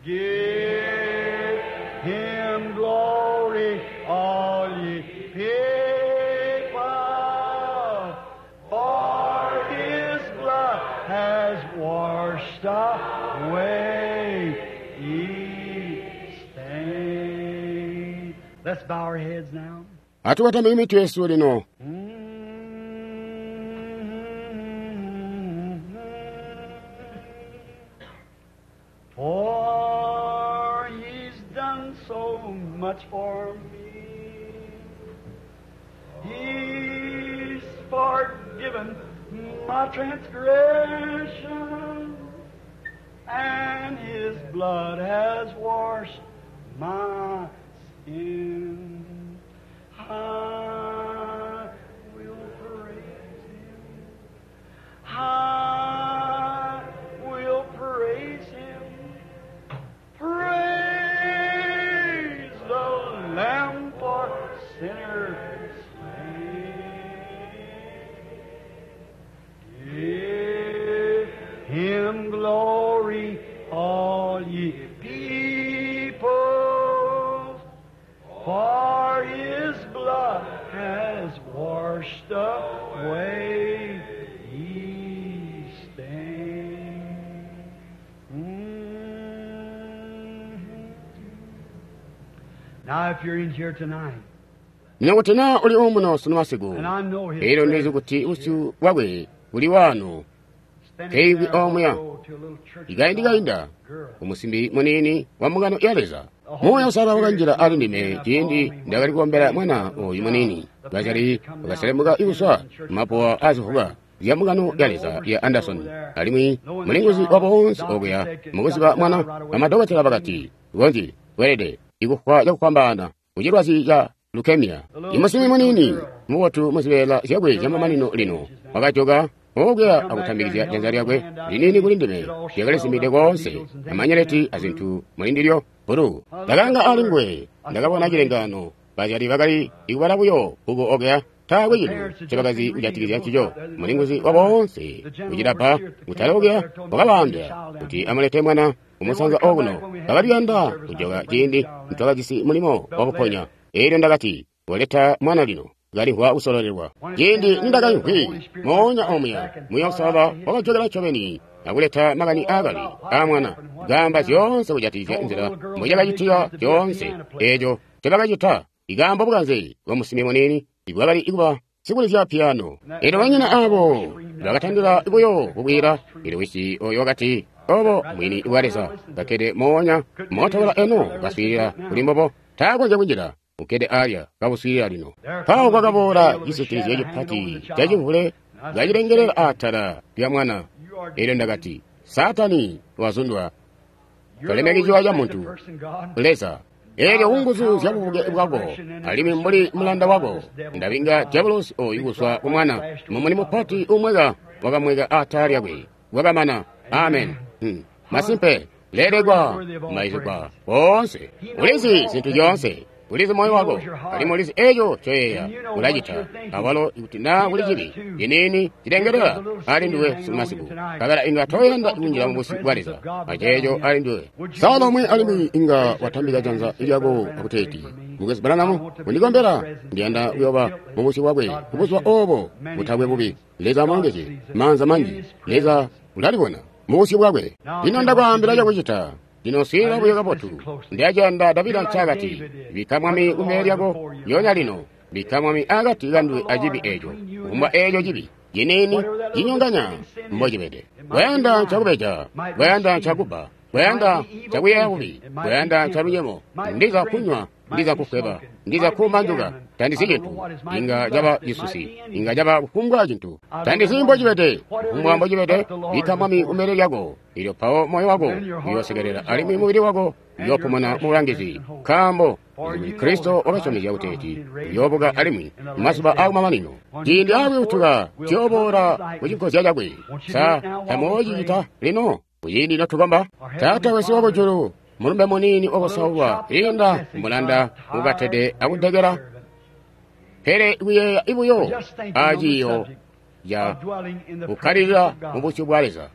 Give him glory, all ye people, for his blood has washed away each stain. Let's bow our heads now. Atukatamike mitwe yesu lino. For he's done so much for me. He's forgiven my transgression, and his blood has washed my sin. I will praise him. I will praise him. Praise the Lamb for sinners slain. Give him glory, all ye people, for his blood has washed away each stain. Now, if you're in here tonight, Lino kuti naa uli omuno sunu masiku, and I know his elyo ndizi presence kuti is busyu here, bwakwe buli wano. standing Keibwi there, omuya. I'll go to a little church Ikaindikainda girl. umusimbi muniini wa mbungano ya Leza. Muuya Uusalala wakanjila ali ndime ciindi ndakali kukombela mwana oyu muniini. Bazyali bakaselemuka ikuswa mapuwa azivuka zya mbungano ya Leza ya Anderson. Alimwi mulinguzi wa boonse okuya mukuziba mwana, bamadokotela bakati, gonji weelede ikufwa cakufwambaana kucilwazi ca leukemia. Imusimbi muniini mubotu muzibeela zyakwe zyamamanino lino wakajoka okuya akutambikizya janza lyakwe liniini kuli ndime, lyakalizimide koonse amanyeleti azintu mulindilyo bulu. Ndakanga ali nguwe, ndakabona cilengaano. Bazyali bakali ikubala buyo bbuku okuya, taakwe cintu ncobakazi kujatikizya ncico. Mulinguzi wa boonse kucilapa kutali okuya wakabaambila kuti amulete mwana kumusanza okuno. Bakali kuyanda kujoka ciindi ntwakajisi mulimo wakuponya. Elyo ndakati, "Koleta mwana lino." Kalimvwa kusololelwa. Ciindi nindakaimvwi moonya omuya, Muuya Uusalala wakajokela ncobeni akuleta makani aakale aa mwana, kaamba zyoonse kujatikizya nzila mbucakacitika zyoonse eeco ncobakacita. Ikaambo bukanze bwa musimbi muniini ibwakali kuba sikulizya piyano. Elyo banyina abo bakatandila buyo kukwiila. Elyo wisi oyo wakati, "Obo mwini bwa Leza kakkede moonya mootokala eno kaswiilila kuli mbobo, taakonzya kunjila. Ukkede alya kabuswiilila lino." Mpawo kwakaboola cisitilizyo cipati cacimvule kacilengelela atala lya mwana. Elyo ndakati, "Saatani wazundwa. Tolemeki ciwa ca muntu, Leza. Elyo kunguzu zya bubuke bwako, alimwi mbuli mulanda wako, ndabinga diabolosi oyu kuzwa ku mwana." Mumuni mupati umweka wakamweka atala lyakwe. Wakamana. Amen. Masimpe, lelekwa, maizigwa boonse. Ulizi zintu zyoonse. Ulizi moyo wako, alimwi ulizi eco coyeeya ulacita. Awalo ikuti naa kuli cibi ciniini cilengelela ali nduwe sumasiku, kabela inga toyanda kunjila mu busyu bwa Leza aceeco ali nduwe. Sala umwi alimwi inga watambika janza lyako akuteeti, "Mukwesu Branham, undikombela, ndiyanda kuyoba mu busyu bwakwe kubuzuba obo butakwe bubi." Leza amulongezye. Maanza manji. Leza ulalibona mu busyu bwakwe. Lino ndakwaambila cakucita. Lino swiilila buyo kabotu. Ndiyaciyanda Davida ncaakati, "Bikka Mwami kumbele lyako lyoonya lino. Bikka Mwami akati kanduwe acibi eeco, kufumbwa eeco cibi ciniini cinyonganya mbocibede. Kwayanda ncakubeja, kwayanda ncakubba, kwayanda ncakuyeeya bubi, kwayanda ncalunyemo, ndiza kunywa, ndiza kufweba, ndiza kuuma njuka, tandizi cintu. Inga caba cisusi, inga caba kufumbwa cintu. Tandizi mbocibede, kufumbwa mbocibede, bikka Mwami kumbele lyako. Elyo mpawo moyo wako uyoosekelela alimwi mubili wako uyoopumuna mu bulangizi, nkaambo kuti Kristo wakasyomezya kuteeti uyoobuka alimwi mazuba aakumamanino. Ciindi aakuyutuka tuyooboola ku cinkozya cakwe. Sa tamuyoocicita lino kuciindi notukomba? Taata wesu wakujulu, mulumbe muniini wakosaulwa kwiinda mulanda ukatede akudekela, pele kuyeeya buyo aciiyo ca kukkalilila mu busyu bwa Leza.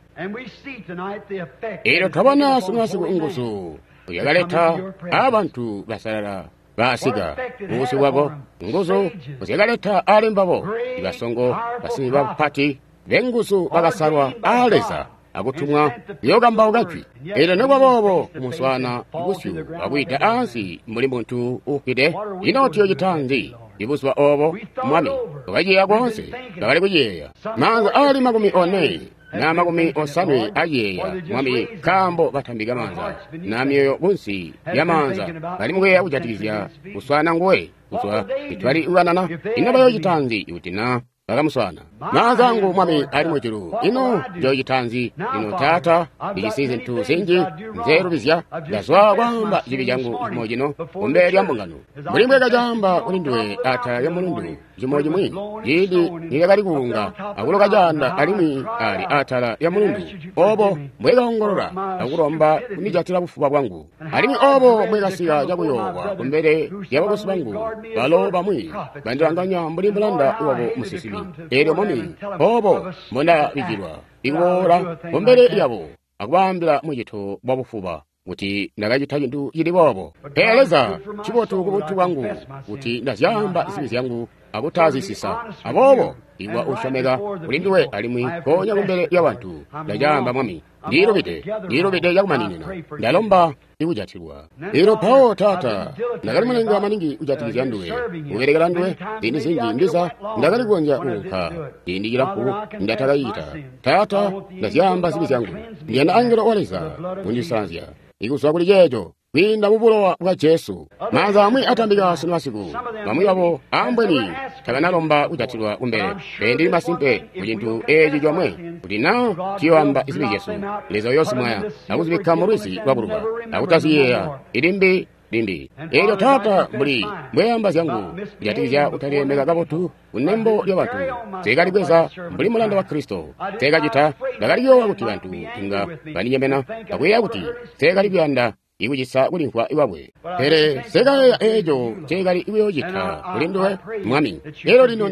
Elyo twabona sunumasiku nguzu zyakaleta abantu basalala baasika mu busyu bwako, nguzu zyakaleta ali mbabo ibasongo, basimbi bapati benguzu bakasalwa aa Leza akutumwa kuyookambauka jwi. Elyo nikuba boobo kumuswaana busyu akwiida ansi mbuli muntu uufwide, ino tuyoocita nzi ibuzuba obo, Mwami? Twakaciyeeya koonse, twakali kuciyeeya. Maanza ali 40 na 80 aciyeeya, Mwami, nkaambo batambika maanza na myoyo kunsi lya maanza, bali mukuyeeya kujatikizya kuswaana nguwe kuzwa itwali kukanana. Ino bayoocita nzi ikuti na bakamuswaana? Maanza angu, Mwami, ali mujulu. Ino njoocita nzi lino, Taata? Ndijisi zintu zinji nzelubizya. Ndazwa kwaamba cibi cangu cimo cino kumbele lya mbungano, mbuli mbwekacaamba kuli nduwe atala lya mulundu cimo cimwi, ciindi nilyakali kuunga akuloka caanda alimwi ali atala lya mulundu, obo mbwekaongolola akulomba kundijatila bufuba bwangu, alimwi obo mbwekasika cakuyoowa kumbele lya bakwesu bangu, balo bamwi bandilanganya mbuli mulanda wabo musinsimi. Elyo Mwami, obo mbondabijilwa ikuboola kumbele lyabo akubaambila mucito bwa bufuba kuti ndakacita cintu cili boobo. Pele Leza, ncibotu kubuntu bwangu kuti ndazyaamba zibi zyangu akutazisisa. Aboobo iwa usyomeka kuli nduwe alimwi konya kumbele lya bantu ndacaamba, Mwami, ndilubide, ndilubide cakumaninina. Ndalomba ikujatilwa. Elyo mpawo, Taata, ndakali mulenga maningi kujatikizya nduwe, kubelekela nduwe ziindi zinji ndiza ndakali kukonzya kuunka ciindi cilamfu ndatakacita. Taata, ndazyaamba zibi zyangu. Ndiyanda angelo wa Leza kundisanzya ikuzwa kuli ceeco kwiinda mu bulowa bwa Jesu. Maanza amwi atambika sunu masiku, bamwi babo ambweni tabanalomba kujatilwa kumbele. Pele ndili masimpe ku cintu eeci comwe, kuti naa tuyoamba zibi zyesu, Leza uyoosimwaya akuzibikka mu lwizi lwakuluba akutaziyeeya ilimbi limbi. Elyo Taata, mbuli mbweamba zyangu kujatikizya kutalilemeka kabotu kunembo lya bantu, nsekalibweza mbuli mulanda wa Kristo. Nsekacita, ndakali kuyoowa kuti bantu inga bandinyemena akuyeeya kuti nsekali kuyanda ikucisa kulimvwa kwakwe. Pele sekayeeya eeco nceekali kuyoocita kuli nduwe, Mwami. Elyo lino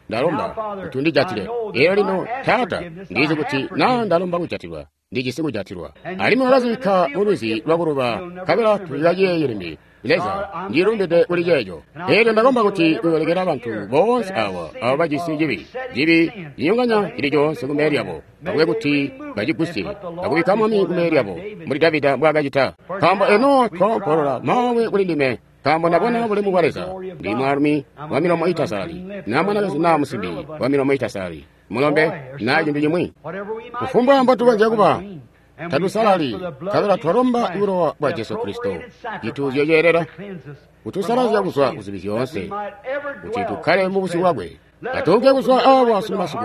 ndalomba kuti undijatile. Elyo lino, Taata, ndizi kuti naa ndalomba kujatilwa, ndijisi kujatilwa. Alimwi wakazibikka mu lwizi lwakuluba, nkabela tulikaciyeeye limbi. Leza, ndilumbide kuli ceeco. Elyo ndakomba kuti uyolekela bantu boonse awa abo bajisi cibi, cibi cinyonganya cili coonse kumbele lyabo, akube kuti bacigusye, akubikka Mwami kumbele lyabo, mbuli Davida mbwaakacita. Nkaambo eno twoompolola maawe kuli ndime, nkaambo ndabona bulemu bwa Leza. Ndi mwaalumi wa milomo itasalali, na mwanakazi naa musimbi wa milomo itasalali, mulombe naa cintu cimwi. Kufumbwa mbotukonzya kuba, tatusalali, nkabela twalomba bulowa bwa Jesu Kristo, cituuzyo ceelela, kutusalazya kuzwa kuzibi zyoonse, kuti tukkale mu busyu bwakwe. Atuunke kuzwa awa sunu masiku,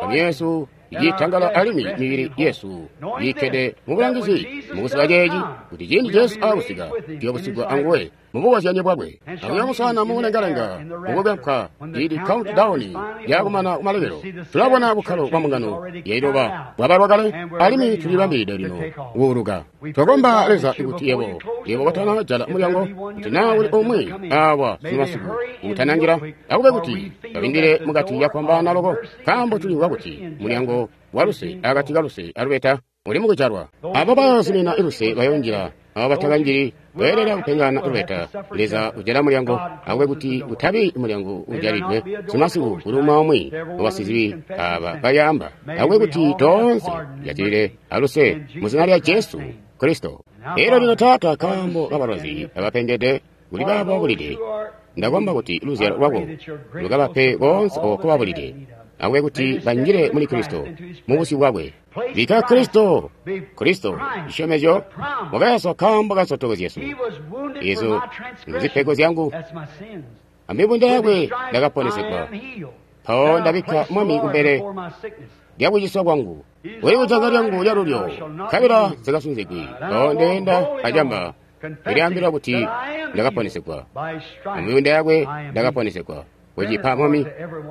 myoyo yesu iitangala alimwi mibili yesu iikkede mu bulangizi mukuziba ceeci, kuti ciindi Jesu aakusika, tuyobusigwa anguwe mubukozyanye bwakwe. Akuyamusana mumulengalenga mukupempwa ili countdown yakumana kumalekelo, tulabona bukkalo bwa mbungano yailoba bwabalwa kale, alimwi tulibambilide lino kuuluka. Twakomba Leza kuti yebo yebo kotana jala mulyango, kuti naa kuli umwi awa sunu masiku utananjila, akube kuti babindile mukati yakwambaana loko, nkaambo tulimvwa kuti mulyango wa luse akati ka luse alubeta uli mukujalwa. Abo bayozumina luse bayonjila, abo batakanjili beelela kupengana lubeta. Leza ujala mulyango, akube kuti utabi mulyango ujalidwe sunu masiku kuli umwi aumwi wabasizibi aba bayamba, akube kuti toonse tujatilile aluse mu zina lya Jesu Kristo. Elyo lino Taata, nkaambo kabalwazi abapengede kuli baabo babulide, ndakomba kuti luzyalo lwako lukabape koonse oko babulide, akube kuti banjile muli Kristo mu busyu bwakwe. Bikka Kristo, Kristo, cisyomezyo, wakayaswa nkaambo ka nsotoko zyesu. Ezo nzipego zyangu, amibunda yakwe ndakaponesegwa. Mpawo ndabikka Mwami kumbele lyakuciswa kwangu, uli kujanza lyangu lyalulyo, nkabela nsikasungigwi. Mpawo ndeenda acamba, ndilyaambila kuti ndakaponesegwa. Amibunda yakwe ndakaponesegwa. Kucipa Mwami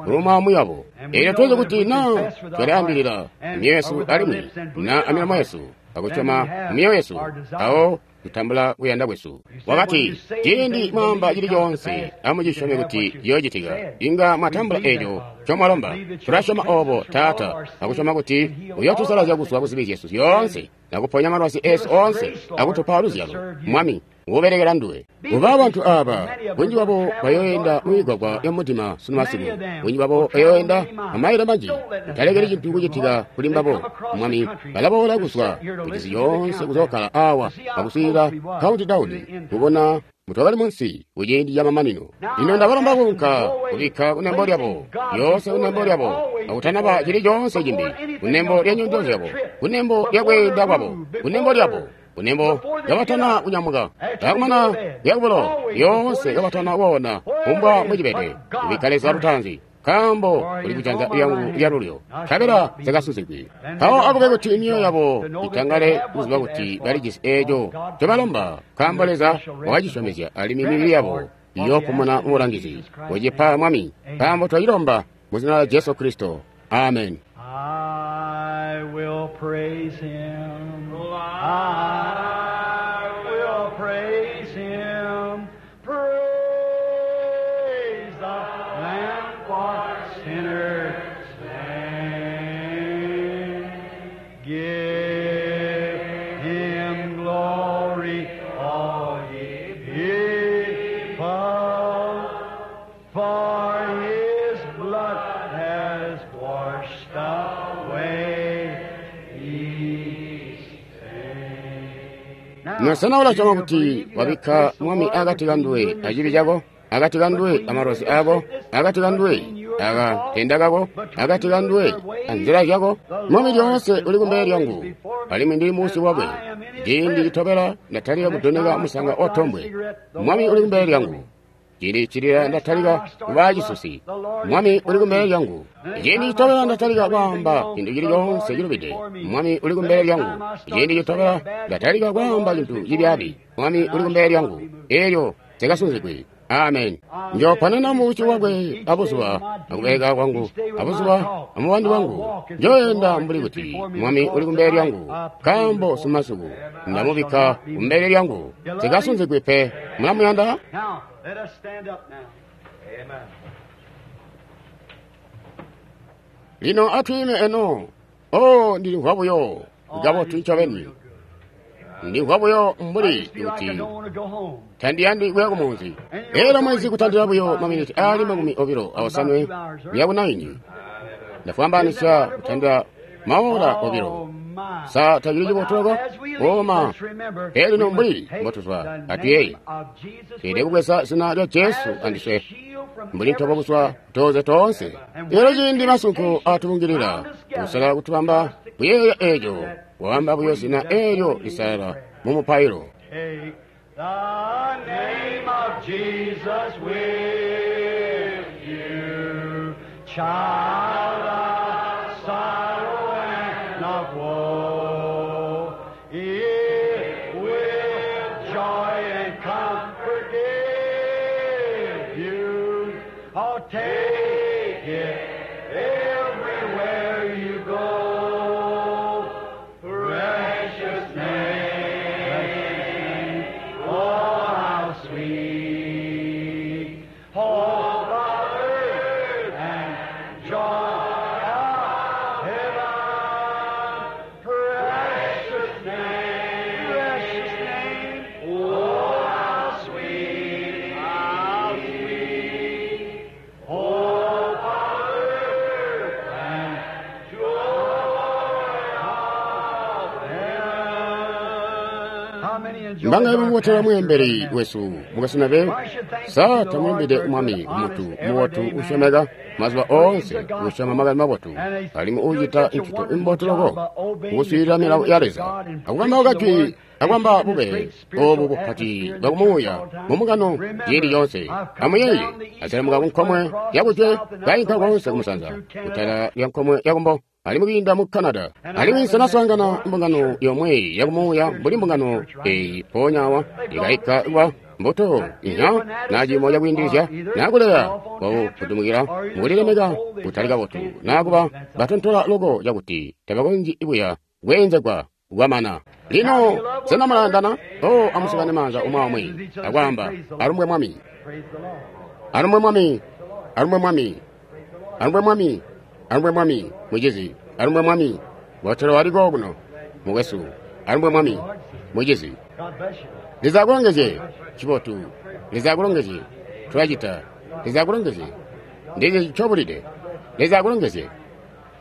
kuli umwi wabo. Elyo tuzi kuti naa twalyaambilila myoyo yesu alimwi na amilomo yesu, akusyoma myoyo yesu, awo tutambula kuyanda kwesu. Wakati, ciindi mwaamba cili coonse, amucisyome kuti ciyoocitika, inga mwatambula eco ncomwalomba. Tulasyoma obo, Taata, akusyoma kuti uyootusalazya kuzwa kuzibi zyesu zyoonse, akuponya malwazi esu oonse, akutupa luzyalo, Mwami, ubelekela nduwe. Kuba bantu aba, bunji bwabo bayoenda mumigwagwa ya mudima sunu masiku, bunji bwabo bayoenda amailo manji. Utalekeli cintu kucitika kuli mbabo, Mwami. Balaboola kuzwa kucisi coonse kuzookala awa akuswiilila countdown, kubona mutwakali munsi kuciindi camamanino. Lino ndabalomba kuunka kubikka kunembo lyabo, lyoonse kunembo lyabo, akutanaba cili coonse cimbi, kunembo lya nyendo zyabo, kunembo lya kweenda kwabo, kunembo lyabo, kunembo kabatana kunyamuka, akumana lyakubulo, lyoonse kabatana kuona kumbwa mbocibede, kubikka Leza lutaanzi, nkaambo uli kujanza lyangu lyalulyo, nkabela nsikasuzigwi. Mpawo akube kuti myoyo yabo itangale kuziba kuti balijisi eeco ncobalomba, nkaambo Leza wakacisyomezya, alimwi mibili yabo iyoopumuna mubulangizi. Kucipa Mwami, nkaambo twacilomba mu zina lya Jesu Kristo. Amen. I will praise him. I will praise him. Praise the Lamb for sinners slain. Give him glory, all ye people, for his blood has washed away his sin. Nosena ulasyoma kuti wabikka Mwami akati kanduwe acibi cako, akati kanduwe amalwazi ako, akati kanduwe akatenda kako, akati kanduwe anzila zyako. Mwami lyoonse uli kumbele lyangu, alimwi ndili muusyi bwakwe. Ciindi citobela ndatalika kudoneka musanga otombwe, Mwami uli kumbele lyangu. Ciindi cilila ndatalika kubaa cisusi, Mwami uli kumbele lyangu. Ciindi citobela ndatalika kwaamba cintu cili coonse cilubide, Mwami uli kumbele lyangu. Ciindi citobela ndatalika kwaamba cintu cibyaabi, Mwami uli kumbele lyangu. Elyo nsikasungigwi. Amen. Njooponena mu busyu bwakwe abuzuba akubeleka kwangu, abuzuba amubandi wangu. Njooenda mbuli kuti Mwami uli kumbele lyangu, nkaambo sumasiku ndamubikka kumbele lyangu. Nsikasungigwi pe. Mulamuyanda? Now, let us stand up now. Amen. Lino atwiime eno. Oh, ndilimvwa buyo kabotu ncobeni. Ndimvwa buyo mbuli kuti tandiyandi kuya kumunzi. Elyo mwezi kutandila buyo maminiti aali 25 kuya ku 9. Ndafwambanisya kutandila maora 2. Sa tacili cibotu loko? Koma. Elino mbuli mbotuzwa atuyeeye. Tweelede kubweza zina lya Jesu andiswe mbuli ntobo kuzwa kutoze toonse. Elyo ciindi masunko atubungilila, kusala kutubamba kuyeeya eeco, waamba buyo zina eelyo lisalala mu mupailo. Take the name of Jesus with you, child of sorrow and of woe. It will joy and comfort give you. Oh, take it everywhere you go. Precious name, oh how sweet, hope of earth and joy of heaven. Precious name, precious name, oh how sweet, hope of earth and joy of heaven. How many enjoy Mbanga mubotela mwemberi wesu mukasinabe sa tamulumbide mwami mutu mubotu usyomeka mazuba oonse usyoma makani mabotu alimwi ucita ncito imbotu loko ukuswiilila milawo ya Leza akukamba kajwi akwamba bube obu bupati bwakumuuya mumungano ciindi coonse. Amuyeeye aselemuka kunkomwe yakujwe kainka koonse kumusanza kutala lya nkomwe yakumbo alimwi kwiinda mu Canada. Alimwi nsanaswaangana mbungano yomwe yakumuuya mbuli mbungano eyi mpoonya awa ikayika kuba mbuto inya na ciimo cakwiindilizya nakuleya kwakufutumukila mukulilemeka kutali kabotu nakuba batontola loko cakuti tabakonzyi buya kweenzegwa kwamana. Lino sena mulayandana? O amusukane maanza umwi aumwi akwaamba alumbwe Mwami, Praise the Lord. alumbwe Mwami, alumbwe Mwami, alumbwe Mwami, alumbwe Mwami, mucizi, alumbwe Mwami. Botelo waliko kuno mukwesu, alumbwe Mwami, mucizi. God bless you. Leza akulongezye cibotu, Leza akulongezye tulacita, Leza akulongezye ndizi ncobulide, Leza akulongezye,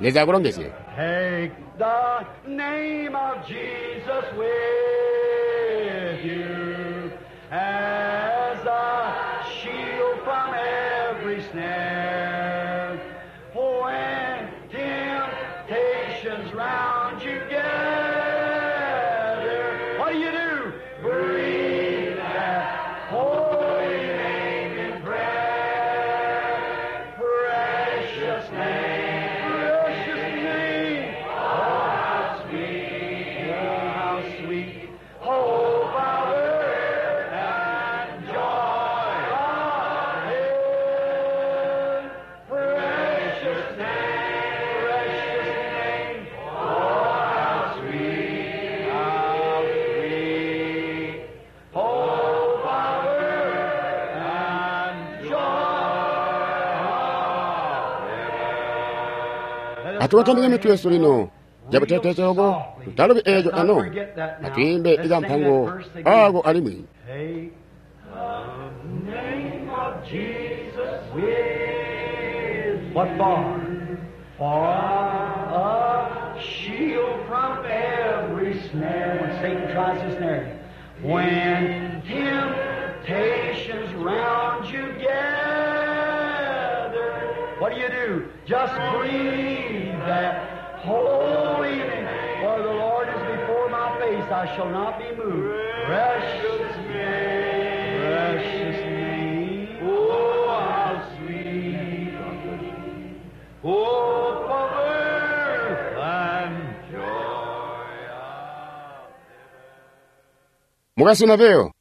Leza akulongezye. Take the name of Jesus with you as a shield from every snare. When temptations round you gather, what do you do? Breathe that holy name in prayer. Precious name, precious name. Oh, how sweet, oh, how sweet. Hope of earth and joy of heaven. Precious name, precious name. Oh, how sweet, how sweet. Hope of earth and joy of heaven. Atuwatambike mitwe yesu lino jabutetezogo tutalubi eejo ano atuyimbe ikampango ako alimwi. Take the name of Jesus with what for? For a shield from every snare when Satan tries to snare you. When temptations round you gather, what do you do? Just breathe that holy name. For the Lord is before my face, I shall not be moved. Precious name, precious name. Oh, how sweet. Oh, for earth and joy. Mukasinaveyo.